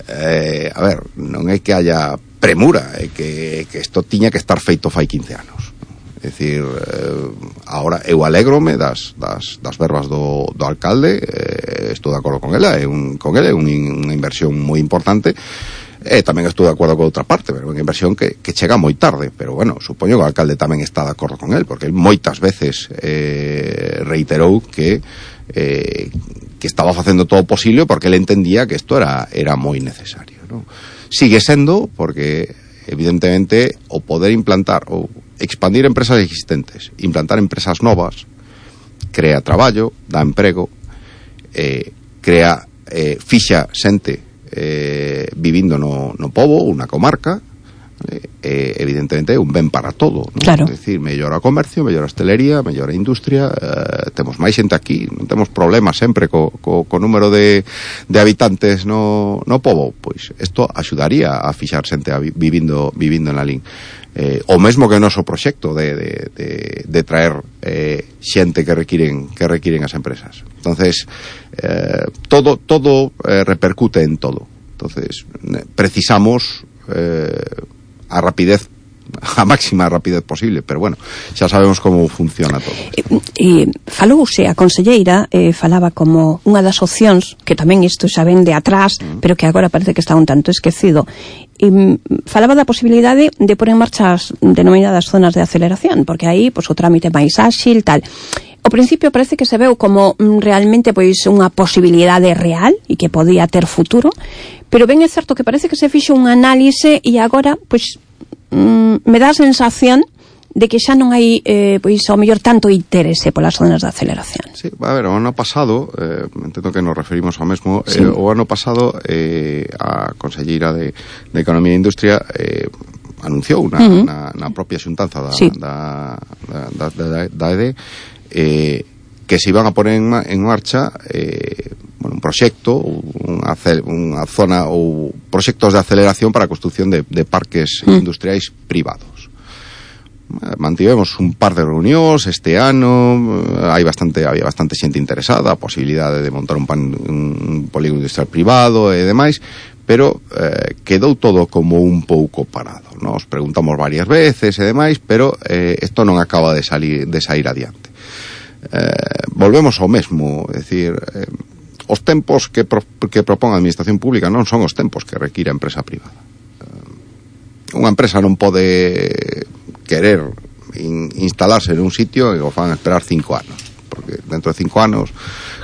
eh, a ver, non é que haya premura, é que, que isto tiña que estar feito fai quince anos. É dicir, eh, agora eu alégrome das, das, das verbas do, do alcalde, eh, estou de acordo con ela, é un, con ela é un, unha inversión moi importante. E tamén estou de acordo con outra parte, pero unha inversión que, que chega moi tarde, pero bueno, supoño que o alcalde tamén está de acordo con el, porque el moitas veces eh, reiterou que eh, que estaba facendo todo o posible porque ele entendía que isto era, era moi necesario, ¿no? Sigue sendo, porque evidentemente o poder implantar ou expandir empresas existentes, implantar empresas novas, crea traballo, dá emprego, eh, crea eh, fixa xente eh, vivindo no, no pobo, unha comarca, eh, evidentemente é un ben para todo, ¿no? Claro. É dicir, mellora o comercio, mellora a hostelería, mellora a industria, eh, temos máis xente aquí, non temos problemas sempre co, co, co número de, de habitantes no, no pobo, pois isto axudaría a fixar xente a vi, vivindo, vivindo en Lalín. Eh, o mesmo que o noso proxecto de, de, de, de traer eh, xente que requiren que requiren as empresas. Entonces eh, todo todo eh, repercute en todo. Entonces precisamos eh, a rapidez, a máxima rapidez posible, pero bueno, xa sabemos como funciona todo. E, e falouse a conselleira, eh, falaba como unha das opcións, que tamén isto xa ven de atrás, mm. pero que agora parece que está un tanto esquecido. E, falaba da posibilidade de pôr en marcha as denominadas zonas de aceleración, porque aí pois, o trámite máis áxil, tal. Ao principio parece que se veu como mm, realmente pois unha posibilidade real e que podía ter futuro, pero ben é certo que parece que se fixo un análise e agora, pois, mm, me dá a sensación de que xa non hai, eh, pois, ao mellor tanto interese polas zonas de aceleración. Sí, a ver, o ano pasado, eh, entendo que nos referimos ao mesmo, sí. eh, o ano pasado eh, a conselleira de, de Economía e Industria eh, anunciou na, uh-huh. na, na propia xuntanza da, sí. da, da, da, da E D eh, que se iban a poner en, en marcha eh, bueno, un proxecto, unha, unha zona ou proxectos de aceleración para a construcción de, de parques uh-huh. industriais privados. Mantivemos un par de reunións este ano, hai bastante había bastante xente interesada, a posibilidade de montar un, pan, un polígono industrial privado e demais, pero eh, quedou todo como un pouco parado. Nos preguntamos varias veces e demais, pero eh, isto non acaba de salir de sair adiante. Eh, volvemos ao mesmo, é dicir, eh, os tempos que, pro, que propón a administración pública non son os tempos que require a empresa privada. Eh, unha empresa non pode querer in, instalarse en un sitio e o fan esperar cinco anos, porque dentro de cinco anos,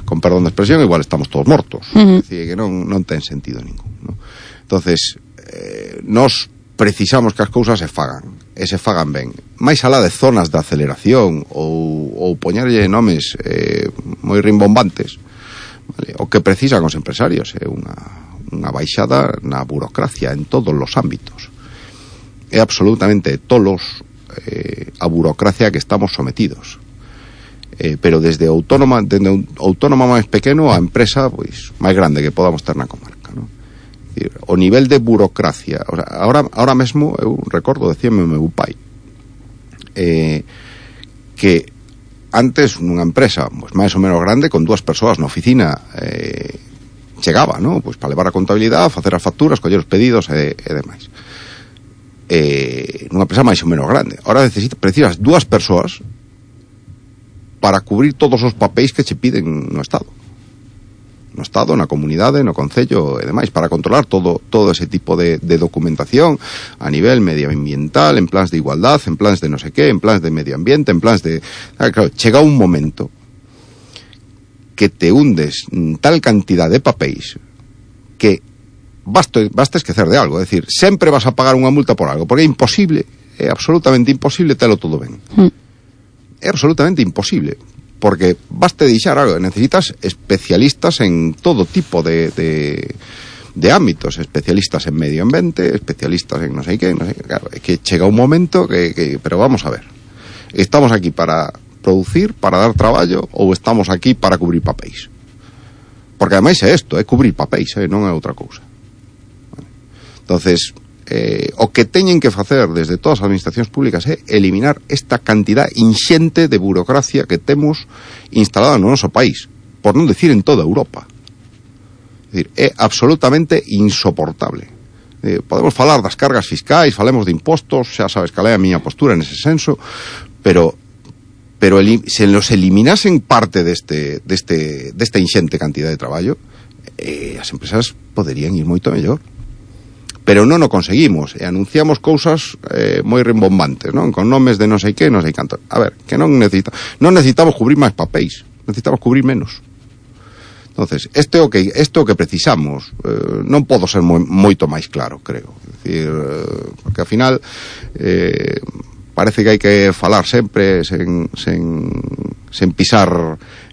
con perdón de expresión, igual estamos todos mortos. Uh-huh. É dicir, que non, non ten sentido ningún, ¿no? Entonces, eh, nos precisamos que as cousas se fagan, e se fagan ben. Mais alá de zonas de aceleración ou, ou poñerlle nomes eh, moi rimbombantes, vale? O que precisan os empresarios é unha, unha baixada na burocracia en todos os ámbitos. É absolutamente tolos eh, a burocracia que estamos sometidos. Eh, pero desde autónoma, desde un autónoma máis pequeno a empresa pois máis grande que podamos ter na comarca, ¿no? É dicir, o nivel de burocracia, o sea, ahora, ahora mesmo eu recordo, decíame meu pai eh, que antes nunha empresa pois, máis ou menos grande, con dúas persoas na oficina eh, chegaba, ¿no? Pois para levar a contabilidade, facer as facturas, coller os pedidos e, e demais. Eh, nunha empresa máis ou menos grande. Ahora necesitas, precisas dúas persoas para cubrir todos os papéis que che piden no Estado. No Estado, na comunidade, no concello e demais, para controlar todo todo ese tipo de, de documentación a nivel medioambiental, en plans de igualdad, en plans de no sé qué, en plans de medio ambiente, en plans de... Claro, chega un momento que te hundes en tal cantidad de papéis que basta, basta esquecer de algo, é dicir, sempre vas a pagar unha multa por algo, porque é imposible, é absolutamente imposible telo todo ben. Mm. É absolutamente imposible, porque basta deixar algo, necesitas especialistas en todo tipo de, de, de ámbitos, especialistas en medio ambiente, especialistas en no sei que, no sei, claro, é que chega un momento que, que, pero vamos a ver, estamos aquí para producir, para dar traballo, ou estamos aquí para cubrir papéis? Porque ademais é isto, é cubrir papéis, eh, non é outra cousa. Entonces, eh, o que teñen que facer desde todas as administracións públicas é eliminar esta cantidad inxente de burocracia que temos instalada no noso país, por non decir en toda Europa. É dicir, é absolutamente insoportable. Eh, podemos falar das cargas fiscais, falemos de impostos, xa sabes cal é a miña postura nese senso, pero pero el, se nos eliminasen parte deste, deste, desta inxente cantidad de traballo, eh, as empresas poderían ir moito mellor. Pero non o conseguimos, e anunciamos cousas eh, moi rimbombantes, non? Con nomes de non sei que, non sei canto. A ver, que non necesita, non necesitamos cubrir máis papéis, necesitamos cubrir menos. Entonces, este é o que este é o que precisamos. Eh, non podo ser moi, moito máis claro, creo. É dicir, eh, porque ao final eh, parece que hai que falar sempre sen, sen, sen pisar,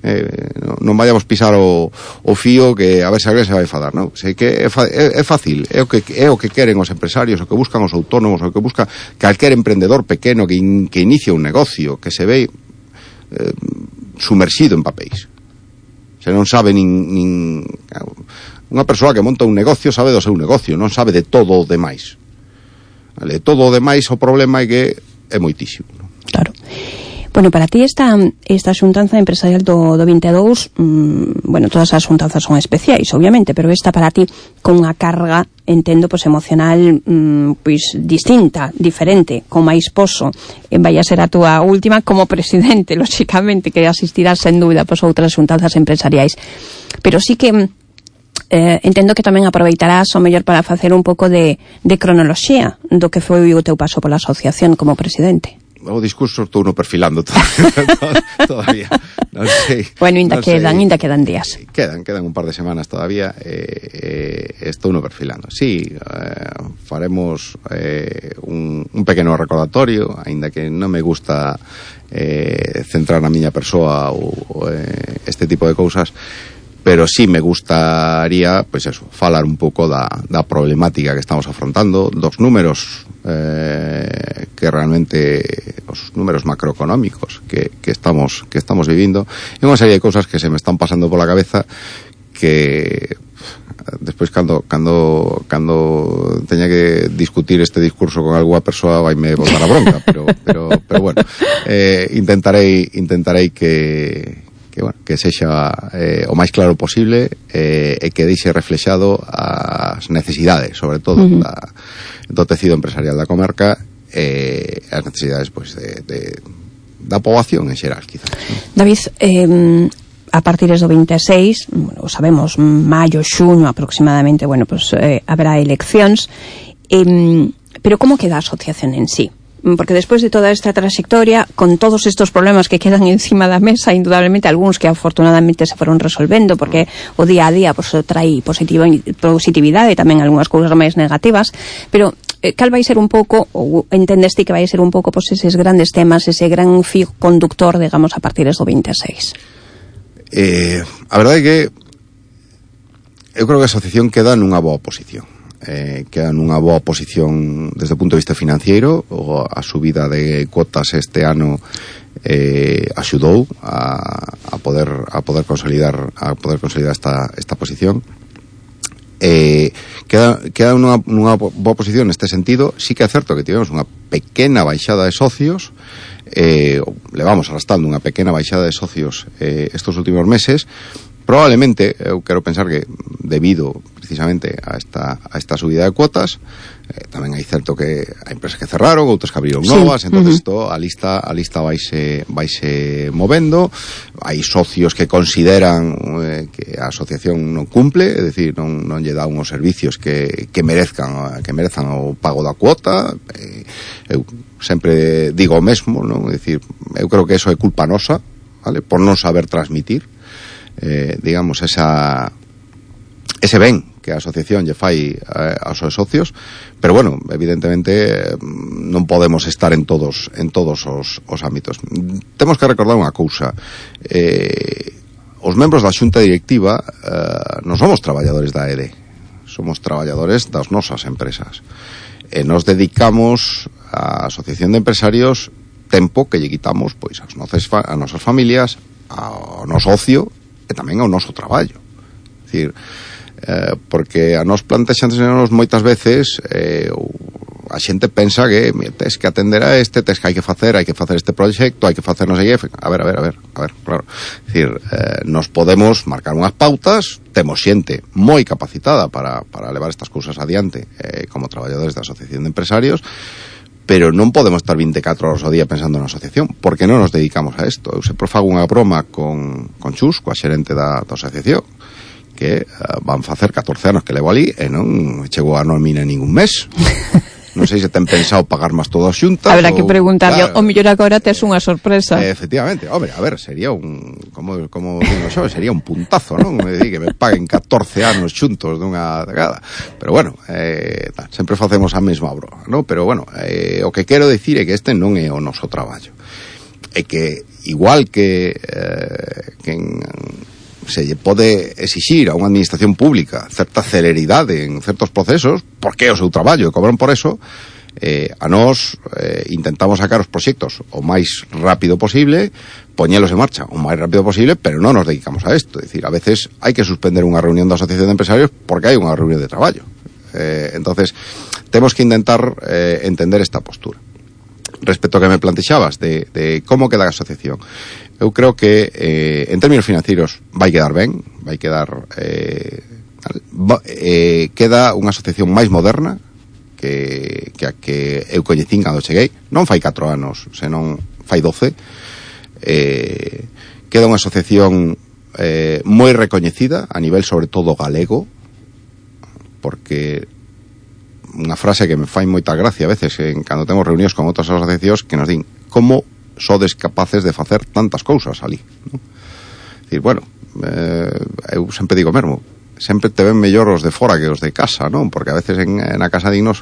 eh, non vayamos pisar o, o fío que a ver se alguén se vai enfadar, non? Sei que é, é, é fácil, é o que é o que queren os empresarios, o que buscan os autónomos, o que busca calquer emprendedor pequeno que, in, que inicia un negocio, que se ve eh, sumerxido en papéis. Se non sabe nin, nin unha persoa que monta un negocio sabe do seu negocio, non sabe de todo o demais. Vale, todo o demais o problema é que é moitísimo, non? Claro. Bueno, para ti esta esta xuntanza empresarial do, do vinte e dous, mmm, bueno, todas as xuntanzas son especiais, obviamente, pero esta para ti con unha carga, entendo, pois emocional mmm, pois distinta, diferente, con máis poso. E vai a ser a túa última como presidente, lóxicamente, que asistirás sen dúbida pois outras xuntanzas empresariais. Pero sí que eh, entendo que tamén aproveitarás o mellor para facer un pouco de, de cronoloxía do que foi o teu paso pola asociación como presidente. O discurso estou no perfilando todavía, todavía. Non sei. Bueno, ainda quedan, ainda quedan días. Quedan, quedan un par de semanas todavía. Eh, eh, estou no perfilando. Sí, eh, faremos eh, un, un pequeno recordatorio, aínda que non me gusta eh, centrar na miña persoa ou, ou eh, este tipo de cousas, pero sí me gustaría, pois eso, falar un pouco da, da problemática que estamos afrontando, dos números eh, que realmente, os números macroeconómicos que, que estamos que estamos vivindo, e unha serie de cousas que se me están pasando pola cabeza que despois cando cando cando teña que discutir este discurso con algunha persoa vaime botar a bronca, pero pero pero bueno, eh, intentarei intentarei que que, bueno, que sexa eh, o máis claro posible eh, e que deixe reflexado as necesidades, sobre todo, uh-huh. da, do tecido empresarial da comarca e eh, as necesidades pois, de, de, da poboación en xeral, quizás, ¿no? David, eh, a partir do vinte e seis, bueno, sabemos, maio, xuño aproximadamente, bueno, pues eh, haberá eleccións, eh, pero como queda a asociación en sí? Porque despois de toda esta trayectoria, con todos estos problemas que quedan encima da mesa, indudablemente algúns que afortunadamente se foron resolvendo, porque o día a día pues, trai positivo, positividade e tamén algunhas cousas máis negativas, pero eh, cal vai ser un pouco, ou entendes ti que vai ser un pouco pues, eses grandes temas, ese gran fio conductor, digamos, a partir do vinte e seis? Eh, a verdade é que eu creo que a asociación queda nunha boa posición. Eh, queda nunha boa posición desde o punto de vista financiero. O, a subida de cuotas este ano eh, axudou a, a poder a poder consolidar a poder consolidar esta, esta posición. Eh, queda, queda nunha, nunha boa posición neste sentido. Sí que é certo que tivemos unha pequena baixada de socios, eh, levamos arrastrando unha pequena baixada de socios eh, estos últimos meses. Probablemente, eu quero pensar que debido precisamente a esta, a esta subida de cuotas, eh, tamén hai certo que hai empresas que cerraron, outras que abriron novas, sí. Entonces uh-huh. a lista a lista vaise, vaise movendo, hai socios que consideran eh, que a asociación non cumple, é dicir, non, non lle dá unhos servicios que, que merezcan que merezan o pago da cuota. eh, eu sempre digo o mesmo, non? É dicir, eu creo que eso é culpa nosa, vale? Por non saber transmitir Eh, digamos, esa ese ben que a asociación lle fai eh, aos seus socios, pero bueno, evidentemente eh, non podemos estar en todos en todos os, os ámbitos. Temos que recordar unha cousa, eh, os membros da xunta directiva eh, non somos traballadores da E D E, somos traballadores das nosas empresas, e nos dedicamos a asociación de empresarios tempo que lle quitamos pois as nosas, as nosas familias, ao noso ocio e tamén ao noso traballo. É dicir, eh, porque a nos plantexannos moitas veces eh, a xente pensa que mira, tes que atender a este, tes que hai que facer, hai que facer este proxecto, hai que facer non sei que, a ver, a ver, a ver, a ver, claro. É dicir, eh, nos podemos marcar unhas pautas, temos xente moi capacitada para, para levar estas cousas adiante eh, como traballadores da Asociación de Empresarios, pero non podemos estar vinte e catro horas ao día pensando na asociación, porque non nos dedicamos a isto. Eu sempre fago unha broma con, con Chus, coa xerente da, da asociación, que uh, van facer catorce anos que levo ali e non chegou a nómina ningún mes. Non sei se ten pensado pagar máis todas xuntas. Habrá que preguntarle, claro, o mellor agora tes unha sorpresa. Eh, efectivamente, hombre, a ver, sería un, como, como digo xo, sería un puntazo, non? Me di que me paguen catorce anos xuntos dunha degada. Pero bueno, eh, ta, sempre facemos a mesma broma, non? Pero bueno, eh, o que quero dicir é que este non é o noso traballo. É que, igual que, eh, que en, se lle pode exixir a unha administración pública certa celeridade en certos procesos, porque é o seu traballo e cobran por eso, eh, a nós eh, intentamos sacar os proxectos o máis rápido posible, poñelos en marcha o máis rápido posible, pero non nos dedicamos a isto. É dicir, a veces hai que suspender unha reunión da Asociación de Empresarios porque hai unha reunión de traballo. Eh, entonces, temos que intentar eh, entender esta postura. Respecto ao que me plantexabas de, de como queda a asociación, eu creo que eh, en términos financeiros vai quedar ben, vai quedar eh, va, eh, queda unha asociación máis moderna que, que a que eu coñecín cando cheguei, non fai catro anos, senón fai doce. Eh, queda unha asociación eh, moi recoñecida a nivel sobre todo galego, porque unha frase que me fai moita gracia a veces en cando temos reunións con outras asociacións que nos din como sodes capaces de facer tantas cousas ali, ¿no? Dicir, bueno, eh, eu sempre digo mesmo, sempre te ven mellor os de fora que os de casa, non? Porque a veces en, en a casa dignos,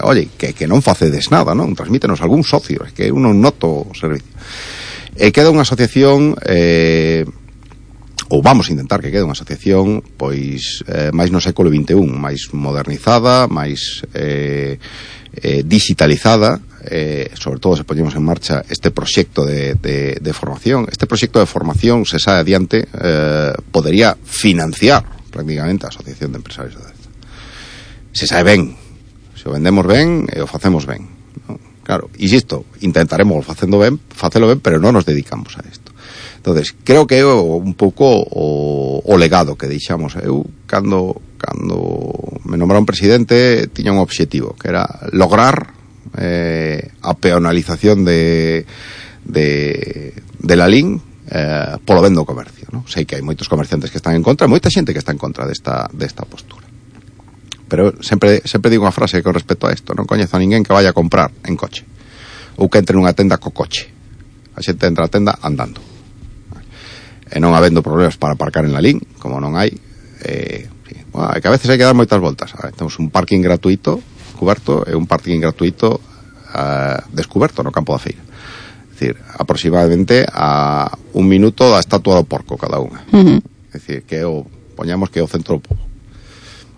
oye, que, que non facedes nada, non? Transmítenos algún socio, é que eu non noto o servicio. E queda unha asociación eh, ou vamos a intentar que quede unha asociación pois eh, máis no século vinte e un, máis modernizada, máis eh, eh, digitalizada, eh, sobre todo se poñemos en marcha este proxecto de, de, de formación. Este proxecto de formación, se sae adiante, eh, podería financiar prácticamente a Asociación de Empresarios da Deza. Se sae ben, se o vendemos ben e o facemos ben, ¿no? Claro, insisto, intentaremos facendo ben, facelo ben, pero non nos dedicamos a isto. Entonces, creo que é un pouco o, o legado que deixamos. Eu, cando, cando me nombraron presidente, tiña un obxectivo, que era lograr eh, a peonalización de, de, de la L I N eh, polo ben do comercio, ¿no? Sei que hai moitos comerciantes que están en contra, moita xente que está en contra desta, desta postura. Pero sempre, sempre digo unha frase con respecto a isto: non coñezo a ninguén que vaya a comprar en coche ou que entre nunha tenda co coche. A xente entra a tenda andando. E non habendo problemas para aparcar en la L I N, como non hai, eh, sí, bueno, é que a veces hai que dar moitas voltas. A ver, temos un parking gratuito cuberto e un parking gratuito uh, descuberto no campo da feira. É dicir, aproximadamente a un minuto da estatua do porco cada unha. Uh-huh. É dicir, que o poñamos que é o centro do pobo.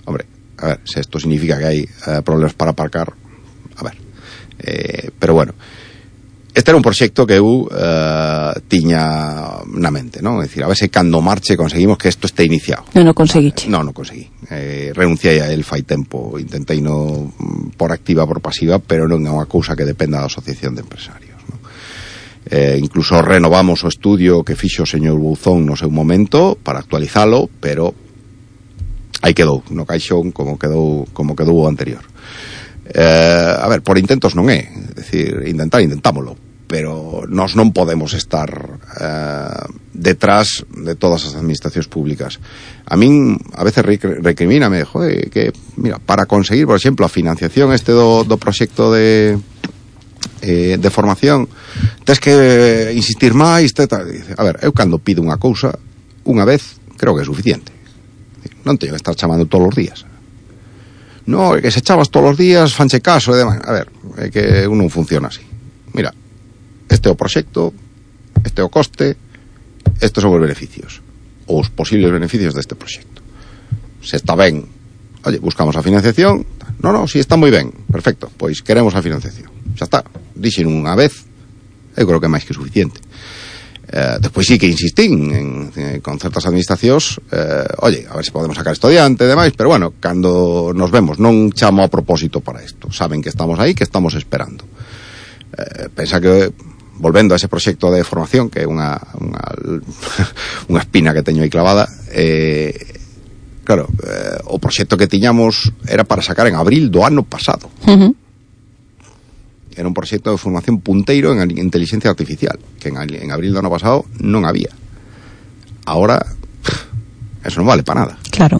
Hombre, a ver, se isto significa que hai uh, problemas para aparcar, a ver, eh, pero bueno, este era un proxecto que eu uh, tiña na mente, non? É dicir, a ver se cando marche conseguimos que isto este iniciado. Non o conseguiche. Non, non conseguí. Eh, renunciei a el fai tempo, intentei no por activa por pasiva, pero non é unha cousa que dependa da Asociación de Empresarios, non? Eh, incluso renovamos o estudio que fixo o señor Bouzón no seu momento para actualizalo, pero aí quedou no caixón como quedou como quedou o anterior. Eh, a ver, por intentos non é, é dicir, intentar intentámolo, pero nós non podemos estar eh, detrás de todas as administracións públicas. A min a veces recrimíname, joder, que mira, para conseguir, por exemplo, a financiación este do, do proxecto de eh, de formación, tes que insistir máis, te, te, a ver, eu cando pido unha cousa unha vez, creo que é suficiente. Non teño que estar chamando todos os días. No, é que se chamas todos os días, fanche caso e demais. A ver, é que un non funciona así. Mira, este é o proxecto, este é o coste, estes son os beneficios, ou os posibles beneficios deste proxecto. Se está ben, oye, buscamos a financiación. No, no, si está moi ben, perfecto, pois queremos a financiación. Xa está, dixen unha vez, eu creo que é máis que suficiente. Eh, despois sí que insistín en, en, con certas administracións, eh, oye, a ver se podemos sacar esto adiante e demais, pero bueno, cando nos vemos non chamo a propósito para isto, saben que estamos aí, que estamos esperando. Eh, pensa que volvendo a ese proxecto de formación, que é unha unha, unha espina que teño aí clavada, eh, claro, eh, o proxecto que tiñamos era para sacar en abril do ano pasado. Uh-huh. Era un proxecto de formación punteiro en inteligencia artificial, que en, en abril do ano pasado non había. Ahora, eso non vale para nada. Claro.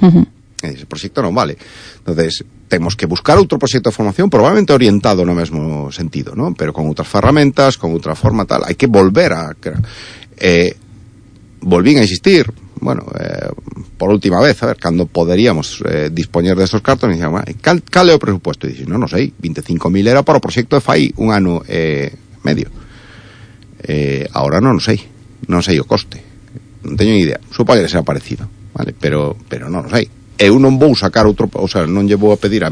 Uh-huh. Ese proxecto non vale. Entonces, temos que buscar outro proxecto de formación probablemente orientado no mesmo sentido, ¿no? Pero con outras ferramentas, con outra forma tal. Hai que volver a... Eh, volvín a insistir, bueno, eh, por última vez, a ver, cando poderíamos eh, dispoñer destos cartos, me dixen, bueno, cal, cal é o presupuesto? E dixen, non, non sei, veinticinco mil era para o proxecto de fai un ano e eh, medio. Eh, ahora non sei, non sei o coste. Non teño ni idea. Supoño que será parecido, vale? Pero, pero non sei. Eu non vou sacar outro, o sea, non lle vou a pedir a,